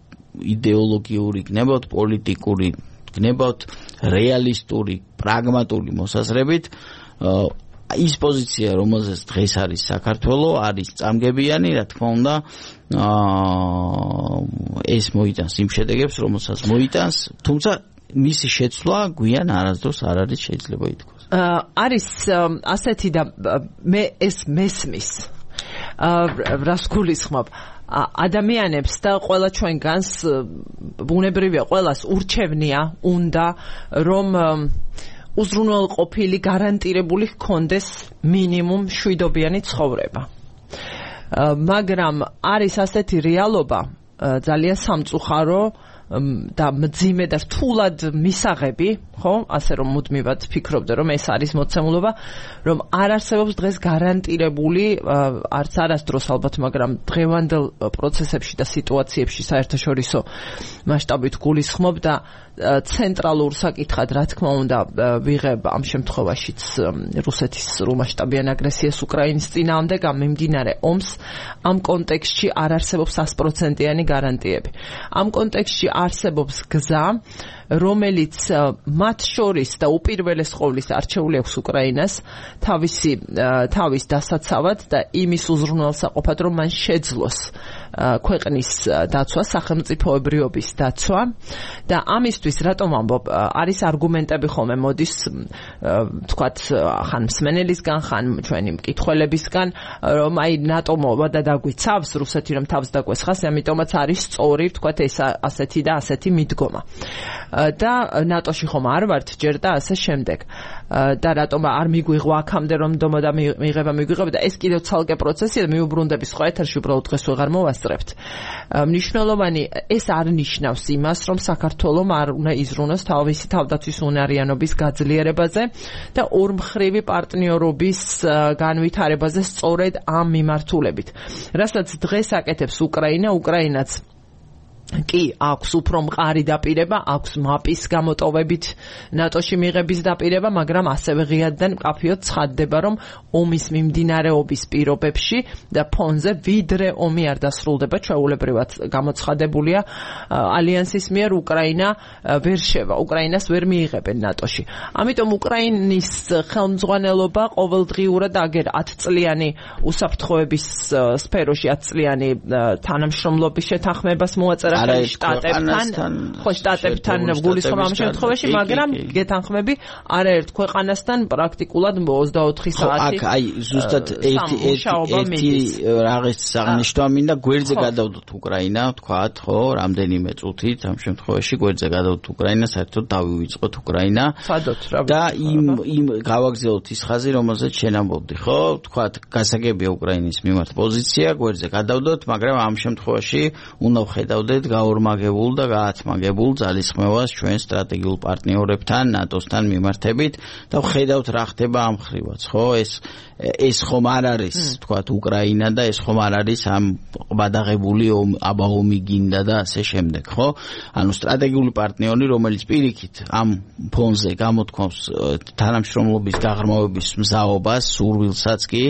Speaker 2: იდეოლოგიური გნებავთ პოლიტიკური გნებავთ რეალისტური პრაგმატული მოსაზრებით ის პოზიცია რომელზეც დღეს არის საქართველოს არის წამგებიანი რა თქმა უნდა ეს მოიტანს იმ შედეგებს რომელსაც მოიტანს თუმცა მისი შეცვლა გვიან არასდროს არ არის შეიძლება ითქვას
Speaker 1: არის ასეთი და მე ეს მესმის რას გულისხმობ ადამიანებს და ყველა ჩვენგანს ბუნებრივია ყველას ურჩევნია უნდა რომ უზრუნველყოფილი გარანტირებული ჰქონდეს მინიმუმ შვიდობიანი ცხოვრება. მაგრამ არის ასეთი რეალობა ძალიან სამწუხარო და მძიმე და რთულად მისაღები, ხო? ასე რომ მუდმივად ფიქრობდე რომ ეს არის მოცემულობა, რომ არ არსებობს დღეს გარანტირებული არც არასდროს ალბათ, მაგრამ დღევანდელ პროცესებში და სიტუაციებში საერთაშორისო მასშტაბით გულისხმობ და ცენტრალურ საკითხად რა თქმა უნდა ვიღებ ამ შემთხვევაშიც რუსეთის სრულმასშტაბიან აგრესიას უკრაინის წინააღმდეგ მიმდინარე ომს ამ კონტექსტში არ არსებობს 100%-იანი გარანტიები. ამ კონტექსტში არსებობს გზა რომელიც მათ შორის და უპირველეს ყოვლის არჩეული აქვს უკრაინას თავის დასაცავად და იმის უზრუნველსაყოფად, რომ მან შეძლოს ქვეყნის დაცვა, სახელმწიფოებრიობის დაცვა და ამისთვის რატომ ამბობ, არის არგუმენტები ხოლმე მოდის თქვათ ხან მსმენელისგან, ხან ჩვენი მკითხველებისგან, რომ აი ნატო მოვა და დაგვიცავს რუსეთი რომ თავს დაგვესხას, ამიტომაც არის სწორი ვთქვათ ეს ასეთი და ასეთი მიდგომა. და ნატოში ხომ არ ვართ ჯერ და ასე შემდეგ. და რატომ არ მიგვიღვა აქამდე რომ დომა და მიიღება და ეს კიდევ ცალკე პროცესია და მიუბრუნდების სხვა ეთერში უბრალოდ დღეს ვეღარ მოვასწრებთ. მნიშვნელოვანი ეს არ ნიშნავს იმას რომ საქართველოს არ უნდა იზრუნოს თავისი თავდაცვის უნარიანობის გაძლიერებაზე და ორმხრივი პარტნიორობის განვითარებაზე სწორედ ამ მიმართულებით. რასაც დღეს აკეთებს უკრაინაც კი აქვს უფრო მყარი დაპირება, აქვს მაპის გამოტოვებით ნატოში მიღების დაპირება, მაგრამ ასევე ღიად და მკაფიოდ ცხადდება, რომ ომის მიმდინარეობის პირობებში და ფონზე ვიდრე ომი არ დასრულდება, ჩვეულებრივად გამოცხადებულია ალიანსის მიერ უკრაინა ვერ შევა, უკრაინას ვერ მიიღებენ ნატოში. ამიტომ უკრაინის ხელმძღვანელობა ყოველდღიურად აგერ 10 წლიანი უსაფრთხოების სფეროში 10 წლიანი თანამშრომლობის შეთანხმებას მოაწერა შტატებთან გულისხმობ ამ შემთხვევაში, მაგრამ გეთანხმები არაერთ ქვეყანასთან პრაქტიკულად 24 საათი.
Speaker 2: აქ აი ზუსტად ერთი რაღაც აღნიშნვა მინდა, გვერდზე გადავდოთ უკრაინა, თქვათ, ხო, რამდენიმე წუთით ამ შემთხვევაში გვერდზე გადავდოთ უკრაინა, საერთოდ დავივიწყოთ უკრაინა. და იმ გავაგზავნოთ ის ხაზი, რომელზეც შენ ამბობდი, ხო? თქვათ, გასაგებია უკრაინის მიმართ პოზიცია, გვერდზე გადავდოთ, მაგრამ ამ შემთხვევაში უნდა ვხედავდეთ გაორმაგებულ და გაათმაგებულ ძალისხმევას ჩვენ სტრატეგიულ პარტნიორებთან, ნატოსთან მიმართებით და ვხედავთ რა ხდება ამ ხრივაც, ხო? ეს ხომ არ არის, თქვათ, უკრაინა და ეს ხომ არ არის ამ ყბადაღებული აბაომი გინდა და ასე შემდეგ, ხო? ანუ სტრატეგიული პარტნიორი, რომელიც პირიქით ამ ფონზე გამოთქვამს თანამშრომლობის გაღრმავების მზაობას, სურვილსაც კი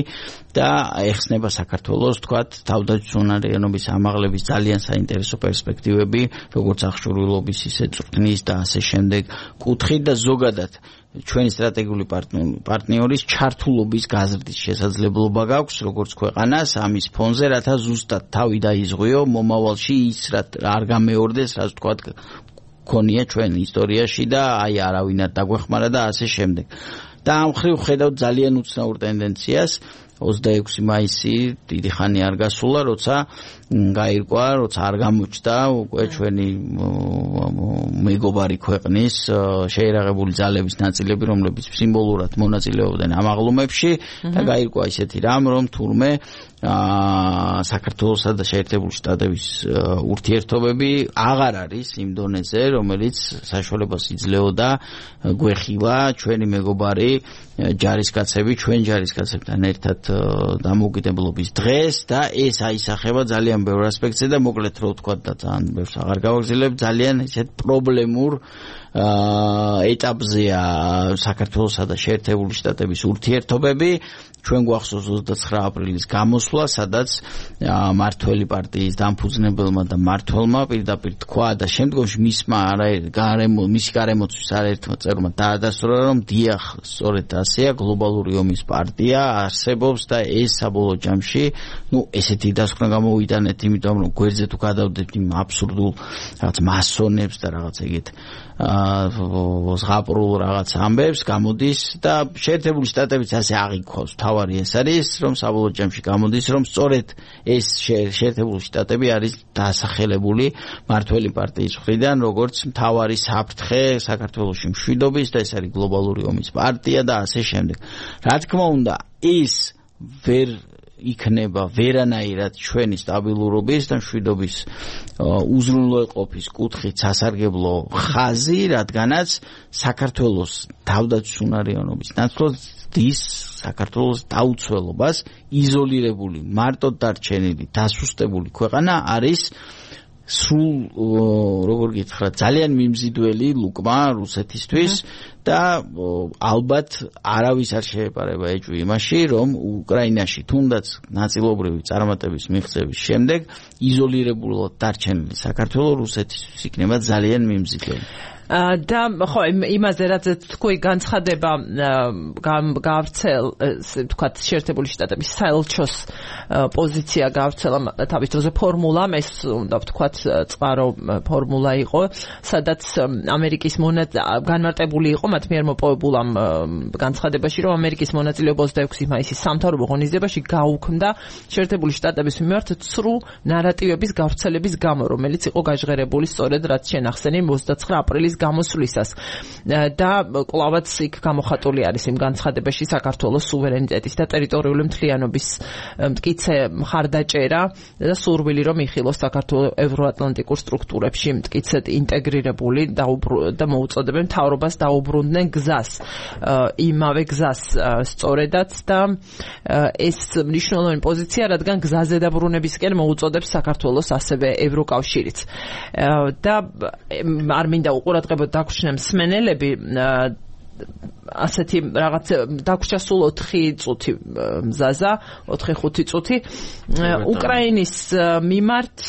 Speaker 2: და ეხსნება საქართველოს, თქვათ, თავდაცვის უნარიანობის ამაღლების ძალიან საინტერესო პერსპექტივები, როგორც აღჭურვილობის, ისე წვრთნის და ასე შემდეგ კუთხით და ზოგადად ჩვენი სტრატეგიული პარტნიორის ჩართულობის გაზრდის შესაძლებლობა გაქვს, როგორც ქვეყანას ამის ფონზე, რათა ზუსტად თავი დაიზღვიო მომავალში ის არ გამეორდეს, რაც თქვათ ქონია ჩვენ ისტორიაში და აი არავინად დაგვეხმარა და ასე შემდეგ. და ამ ხრივ ხედავთ ძალიან უცნაურ ტენდენციას. 26 მაისი დიდი ხანი არ გასულა, როცა გაირკვა, როცა არ გამოჩნდა უკვე ჩვენი მეგობარი ქვეყნის შეერაღებული ძალების ნაწილები, რომლებიც სიმბოლურად მონაწილეობდნენ ამ აღლუმებში და გაირკვა ისეთი რამ, რომ თურმე საქართველოსა და შეერთებული შტატების ურთიერთობები აღარ არის იმ დონეზე, რომელიც საშუალებას იძლეოდა გვეხილა ჩვენი მეგობარი ჯარისკაცები, ჩვენ ჯარისკაცებთან ერთად დამოუკიდებლობის დღეს და ეს აისახება ძალიან ბევრ ასპექტზე და მოკლედ რო ვთქვა და ძალიან ბევრს აღარ გავაგზავნებ, ძალიან ისეთ პრობლემურ ეტაპზეა საქართველოსა და შეერთებული შტატების ურთიერთობები. ჩვენ გვახსოვს 29 აპრილის გამოსვლა, სადაც მართველი პარტიის დამფუძნებელმა და მმართველმა პირდაპირ თქვა და შემდგომში მისი გარემოცვის არაერთმა წევრმა დაადასტურა, რომ დიახ, სწორედ ასეა, გლობალური ომის პარტია არსებობს და ეს საბოლოო ჯამში, ესეთი დასკვნა გამოვიტანეთ, იმიტომ რომ გვერდზე თუ გადავდეთ იმ აბსურდულ რაღაც მასონებს და რაღაც ეგეთ ზღაპრულ რაღაც ამბებს გამოდის და შეერთებული შტატებიც ასე აღიქვავს. თავარი ეს არის, რომ საბოლოო ჯამში გამოდის, რომ სწორედ ეს შეერთებული შტატები არის დასახელებული მართველი პარტიის მხრიდან, როგორც მთავარი საფრთხე საქართველოში მშვიდობის და ეს არის გლობალური ომის პარტია და ასე შემდეგ. რა თქმა უნდა, ის ვერ იქნება ვერანაირად ჩვენი სტაბილურობის და მშვიდობის უზრუნველყოფის კუთხით სასარგებლო ხაზი, რადგანაც საქართველოს თავდაცვის უნარიანობის ნაცვლად საქართველოს დაუცველობას იზოლირებული, მარტოდ დარჩენილი, დასუსტებული ქვეყანა არის სულ როგორ გითხრათ, ძალიან მიმზიდველი ლუკმა რუსეთისთვის და ალბათ არავის არ შეეპარება ეჭვი იმაში, რომ უკრაინაში თუნდაც ნაწილობრივი წარმატების მიღწევის შემდეგ იზოლირებულად დარჩენილი საქართველოს რუსეთისთვის იქნება ძალიან მიმზიდველი.
Speaker 1: და ხო იმაზე რაც თქვი განცხადება გავრცელ ვთქვათ შეერთებული შტატების საელჩოს პოზიცია გავრცელა თავის დროზე ფორმულამ ეს უნდა ვთქვათ წყარო ფორმულა იყო სადაც ამერიკის განმარტებული იყო მათ მიერ მოპოვებულ ამ განცხადებაში რომ ამერიკის მონაწილეობა 26 მაისის სამთავრობო ღონისძიებაში გაუქმდა შეერთებული შტატების მიმართ ცრუ ნარატივების გავრცელების გამო რომელიც იყო გაჟღერებული სწორედ რაც შენახსენი 29 აპრილის გამოსვლისას და კლავაც იქ გამოხატული არის იმ განცხადებაში საქართველოს სუვერენიტეტის და ტერიტორიული მთლიანობის მტკიცე მხარდაჭერა და სურვილი რომ იხილოს საქართველოს ევროატლანტიკურ სტრუქტურებში მტკიცედ ინტეგრირებული და მოუწოდებენ მთავრობას დაუბრუნდნენ გზას იმავე გზას სწორედაც და ეს მნიშვნელოვანი პოზიცია რადგან გზაზე დაბრუნებისკენ მოუწოდებს საქართველოს ასევე ევროკავშირიც და არ მინდა უყურადღებოდ დაგვრჩნენ მსმენელები ასეთი რაღაც დაგვრჩა სულ 4 წუთი მზაზა 4-5 წუთი უკრაინის მიმართ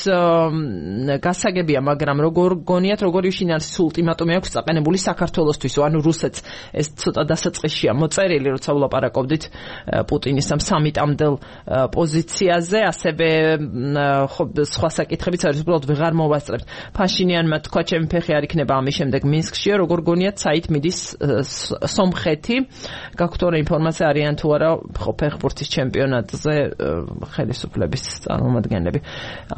Speaker 1: გასაგებია მაგრამ როგორ გონიათ როგორ იშინალის ულტიმატუმი აქვს წაყენებული საქართველოსთვის ანუ რუსეთს ეს ცოტა დასაწყისშია მოწერილი როცა ვლაპარაკობდით პუტინის ამ სამიტამდელ პოზიციაზე ასევე სხვა საკითხებიც არის უბრალოდ ვეღარ მოვასწრებთ ფაშინიანმა თქვა ჩემი ფეხი არ იქნება ამის შემდეგ მინსკშია როგორ გონიათ საით მიდის სომხეთი გაქვთ ინფორმაცია არიან თუ არა ფეხბურთის ჩემპიონატზე ხელისუფლების წარმომადგენლები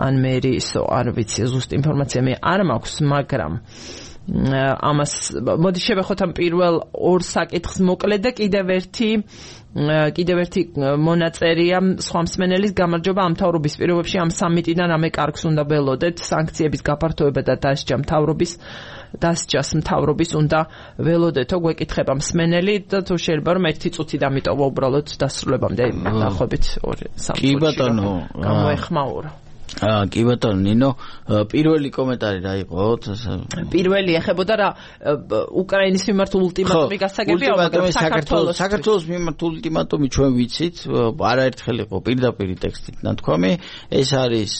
Speaker 1: ან მერისო არ ვიცი ზუსტ ინფორმაცია მე არ მაქვს მაგრამ ამას მოდი შევეხოთ ამ პირველ ორ საკითხს მოკლედ და კიდევ ერთი მონაწერია სხვა მსმენელის გამარჯობა ამ მთავრობის პირობებში ამ სამიტიდან რამე კარგს უნდა ველოდეთ სანქციების გაფართოება და დასჯას მთავრობის უნდა ველოდეთო გვეკითხება მსმენელი და თუ შეიძლება რომ 1 წუთი დამიტოვა უბრალოდ დასრულებამდე დაახლოებით 2-3
Speaker 2: კი ბატონო
Speaker 1: გამოეხმაურა
Speaker 2: კი ბატონო ნინო პირველი კომენტარი რა იყო
Speaker 1: პირველი ეხებოდა რა უკრაინის მიმართ ულტიმატუმი გასაგებია მაგრამ
Speaker 2: საქართველოს მიმართ ულტიმატუმი ჩვენ ვიცით არაერთხელ იყო პირდაპირ ტექსტით ნათქვამი ეს არის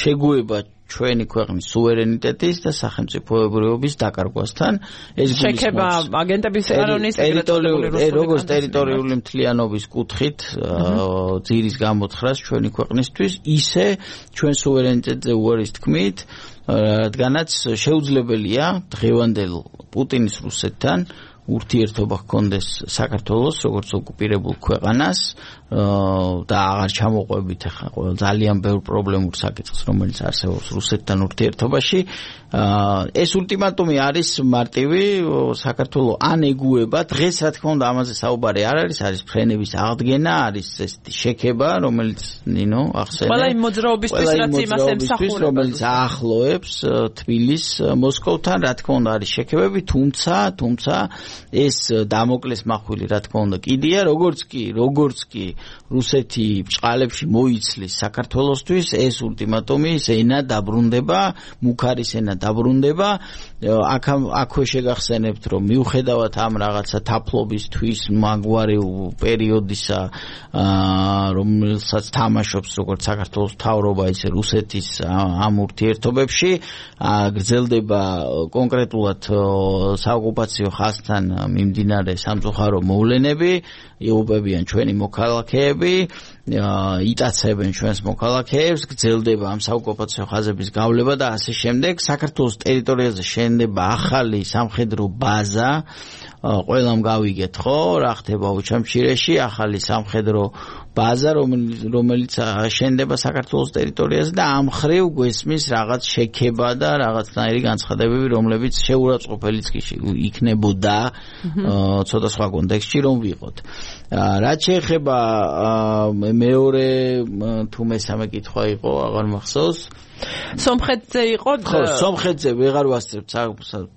Speaker 2: შეგუება ჩვენი ქვეყნის სუვერენიტეტის და სახელმწიფოებრიობის დაკარგვასთან ეს
Speaker 1: შექება აგენტების ეროვნების
Speaker 2: როგორც ტერიტორიული მთლიანობის კუთხით ძირის გამოთხრას ჩვენი ქვეყნისთვის ისე ჩვენ სუვერენიტეტზე უარის თქმით რადგანაც შეუძლებელია დღევანდელ პუტინის რუსეთთან ურთიერთობა ჰქონდეს საქართველოს როგორც ოკუპირებულ ქვეყანას და აღარ ჩამოყვებით ახლა ძალიან ბევრ პრობლემურ საკითხს რომელიც არსებობს რუსეთთან ურთიერთობაში ეს ულტიმატუმი არის მარტივი საქართველოს ან ეგუება დღეს რა თქმა უნდა ამაზე საუბარი არ არის არის ფრენების აღდგენა არის ესეთი შექება რომელიც ნინო ახსენე
Speaker 1: ყველა იმ მოძრაობისთვის რაც იმას ემსახურება
Speaker 2: რომელიც აახლოებს თბილისს მოსკოვთან რა თქმა უნდა არის შექებები თუმცა ეს დამოკლეს მახვილი რა თქმა უნდა კიდია როგორც კი რუსეთი ბჭყალებში მოიცლის საქართველოსთვის ეს ულტიმატუმი ენა დაბრუნდება მუქარის ენა დაბრუნდება აქვე შეგახსენებთ რომ მიუხედავად ამ რაღაცა თაფლობისთვის მაგვარი პერიოდისა რომელსაც თამაშობს როგორც საქართველოს მთავრობა ისე რუსეთის ამ ურთიერთობებში გრძელდება კონკრეტულად საოკუპაციო ხაზთან მიმდინარე სამწუხარო მოვლენები იუბებიან ჩვენი მოქალაქეები იტაცებენ ჩვენს მოქალაქეებს გრძელდება ამ საოკუპაციო ხაზების გავლება და ასე შემდეგ საქართველოს ტერიტორიაზე შენდება ახალი სამხედრო ბაზა ყველამ გავიგეთ ხო რა ხდება უჩამჩირეში ახალი სამხედრო ბაზა რომელიც შენდება საქართველოს ტერიტორიაზე და ამ ხრივ გვესმის რაღაც შექება და რაღაცნაირი განცხადებები რომლებიც შეურაცხყოფელიც კი იქნებოდა ცოტა სხვა კონტექსტში რომ ვიყოთ რაც შეეხება მეორე თუ მესამე კითხვა იყო აღარ მახსოვს
Speaker 1: სომხეთზე იყო
Speaker 2: ხო სომხეთზე ვეღარ ვასწრებ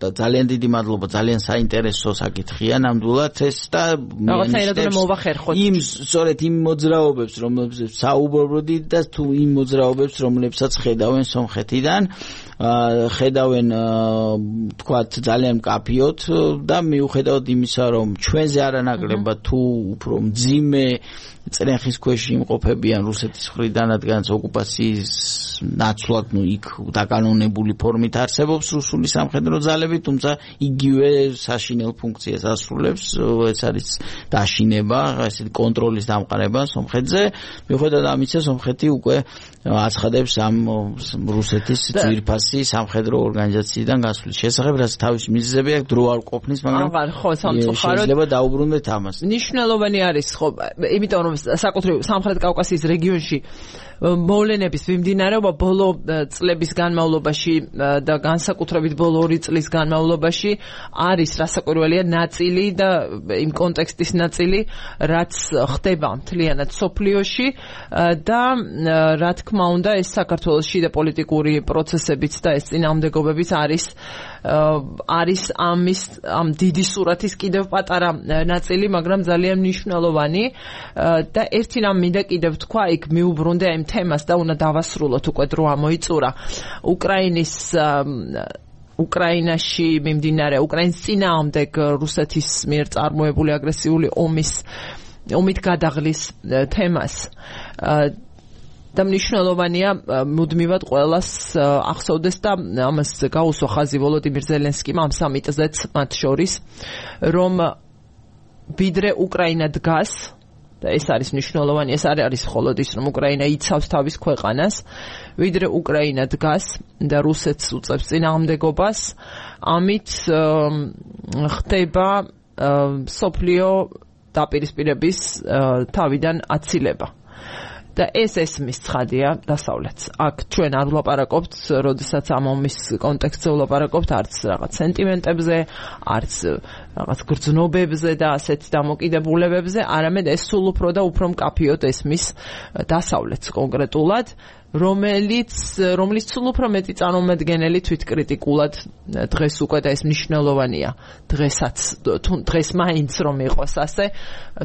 Speaker 2: და ძალიან დიდი მადლობა ძალიან საინტერესო საკითხია ნამდვილად ეს და
Speaker 1: რაღაცნაირად უნდა მოვახერხოთ
Speaker 2: იმ სწორედ იმ მოძრაობებს რომლებსაც საუბრობდით და თუ იმ მოძრაობებს რომლებსაც ხედავენ სომხეთიდან ხედავენ თქვათ ძალიან მკაფიოდ და მიუხედავად იმისა რომ ჩვენზე არანაკლებად თუ უფრო მძიმე წრეხის ქვეშ იმყოფებიან რუსეთის მხრიდან, რადგანაც ოკუპაციის ნაცვლად იქ დაკანონებული ფორმით არსებობს რუსული სამხედრო ძალები, თუმცა იგივე საშინელ ფუნქციას ასრულებს, ეს არის დაშინება, ესეთი კონტროლის დამყარება სომხეთზე. მიუხედავად ამისა, სომხეთი უკვე აცხადებს ამ რუსეთის ძვირფასი სამხედრო ორგანიზაციიდან გასვლის შესახებ, რაც თავის მიზეზები აქვს, დრო არ ყოფნის, მაგრამ შეიძლება დაუბრუნდეთ ამას.
Speaker 1: ნიშნულოვანი არის, ხო, იმიტომ რომ საკუთრივ სამხრეთ კავკასიის რეგიონში მოვლენების მიმდინარეობა ბოლო წლების განმავლობაში და განსაკუთრებით ბოლო 2 წლის განმავლობაში არის რასაკვირველია ნაწილი და იმ კონტექსტის ნაწილი, რაც ხდება მთლიანად სოფლიოში და რა თქმა უნდა ეს საქართველოს შიდა პოლიტიკური პროცესებიც და ეს წინააღმდეგობებიც არის ამ დიდი სურათის კიდევ პატარა ნაწილი, მაგრამ ძალიან მნიშვნელოვანი და ერთი რამ მინდა კიდევ თქვა, იქ მიუბრუნდე ამ თემას და უნდა დავასრულოთ, უკვე დრო ამოიწურა. უკრაინაში მიმდინარე უკრაინის წინააღმდეგ რუსეთის მიერ წარმოებული აგრესიული ომით გადაღლის თემას და მნიშვნელოვანია მუდმივად ყველას ახსოვდეს და ამას გაუსვა ხაზი ვოლოდიმირ ზელენსკიმ ამ სამიტზეც მათ შორის, რომ ვიდრე უკრაინა დგას და ეს არის მნიშვნელოვანი, ეს არ არის მხოლოდ ის, რომ უკრაინა იცავს თავის ქვეყანას, ვიდრე უკრაინა დგას და რუსეთს უწევს წინააღმდეგობას, ამით ხდება სოფლიო დაპირისპირების თავიდან აცილება. და ეს ესმის ცხადია დასავლეთს. აქ ჩვენ არ ვლაპარაკობთ, როდესაც ამ ომის კონტექსტზე ვლაპარაკობთ, არც რაღაც სენტიმენტებზე, არც რაღაც გრძნობებზე და ასეთ დამოკიდებულებებზე, არამედ ეს სულ უფრო და უფრო მკაფიოდ ესმის დასავლეთს კონკრეტულად, რომელიც სულ უფრო მეტი წარმომადგენელი თვითკრიტიკულად დღეს უკვე და ეს მნიშვნელოვანია დღეს მაინც რომ იყოს ასე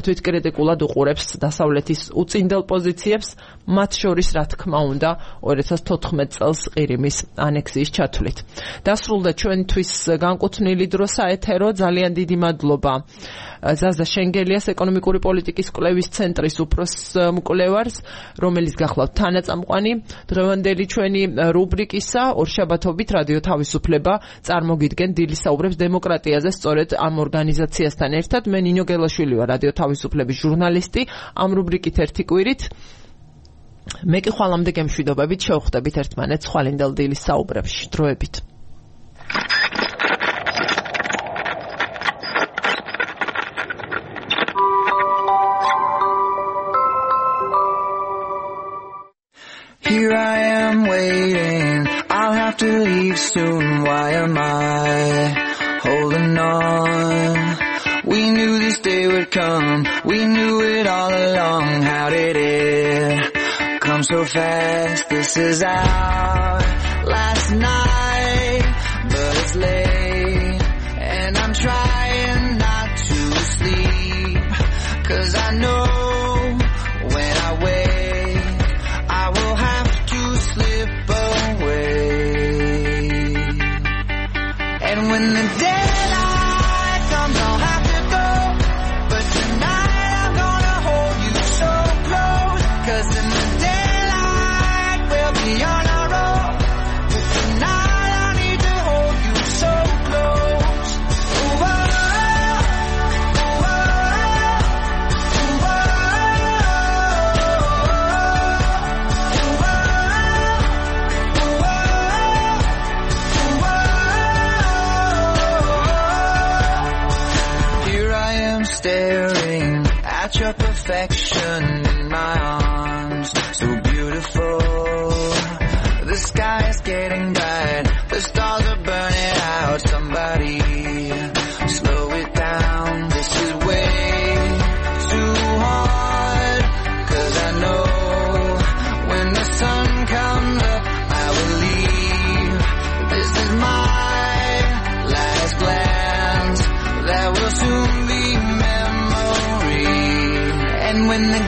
Speaker 1: თვითკრიტიკულად უყურებს დასავლეთის უწინდელ პოზიციებს, მათ შორის რა თქმა უნდა 2014 წელს ყირიმის ანექსიის ჩათვლით. დასრულდა ჩვენთვის განკუთვნილი დრო საეთერო, ძალიან დიდი მადლობა ზაზა შენგელიას, ეკონომიკური პოლიტიკის კვლევის ცენტრის უფროს მკვლევარს, რომელიც გახლავთ თანაწამყვანი დღევანდელი ჩვენი რუბრიკისა. ორშაბათობით რადიო თავისუფლება წარმოგიდგენ დილის საუბრებს დემოკრატიაზე, სწორედ ამ ორგანიზაციასთან ერთად. მე ნინო გელაშვილი ვარ, რადიო თავისუფლების ჟურნალისტი. ამ რუბრიკით ერთი კვირით მე კი ხვალამდე გემშვიდობებით შევხვდებით ერთმანეთს ხვალინდელ დილის საუბრებში. დროებით.
Speaker 3: Here I am waiting, I'll have to leave soon, why am I holding on? We knew this day would come, we knew it all along, how did it come so fast? This is our last night, but it's late, and I'm trying not to sleep, 'cause I know when I wake, I will have to slip away. And when the daylight comes, I'll have to go. But tonight I'm gonna hold you so close, 'cause in the daylight we'll be on our own. But tonight I need to hold you so close. Ooh, oh, ooh, oh, ooh, oh. Staring at your perfection in my arms, so beautiful. The sky is getting bright, the stars are burning out. Somebody slow it down, this is way too hard. 'Cause I know when the sun comes up, I will leave. This is my last glance, that will soon be memory. And when the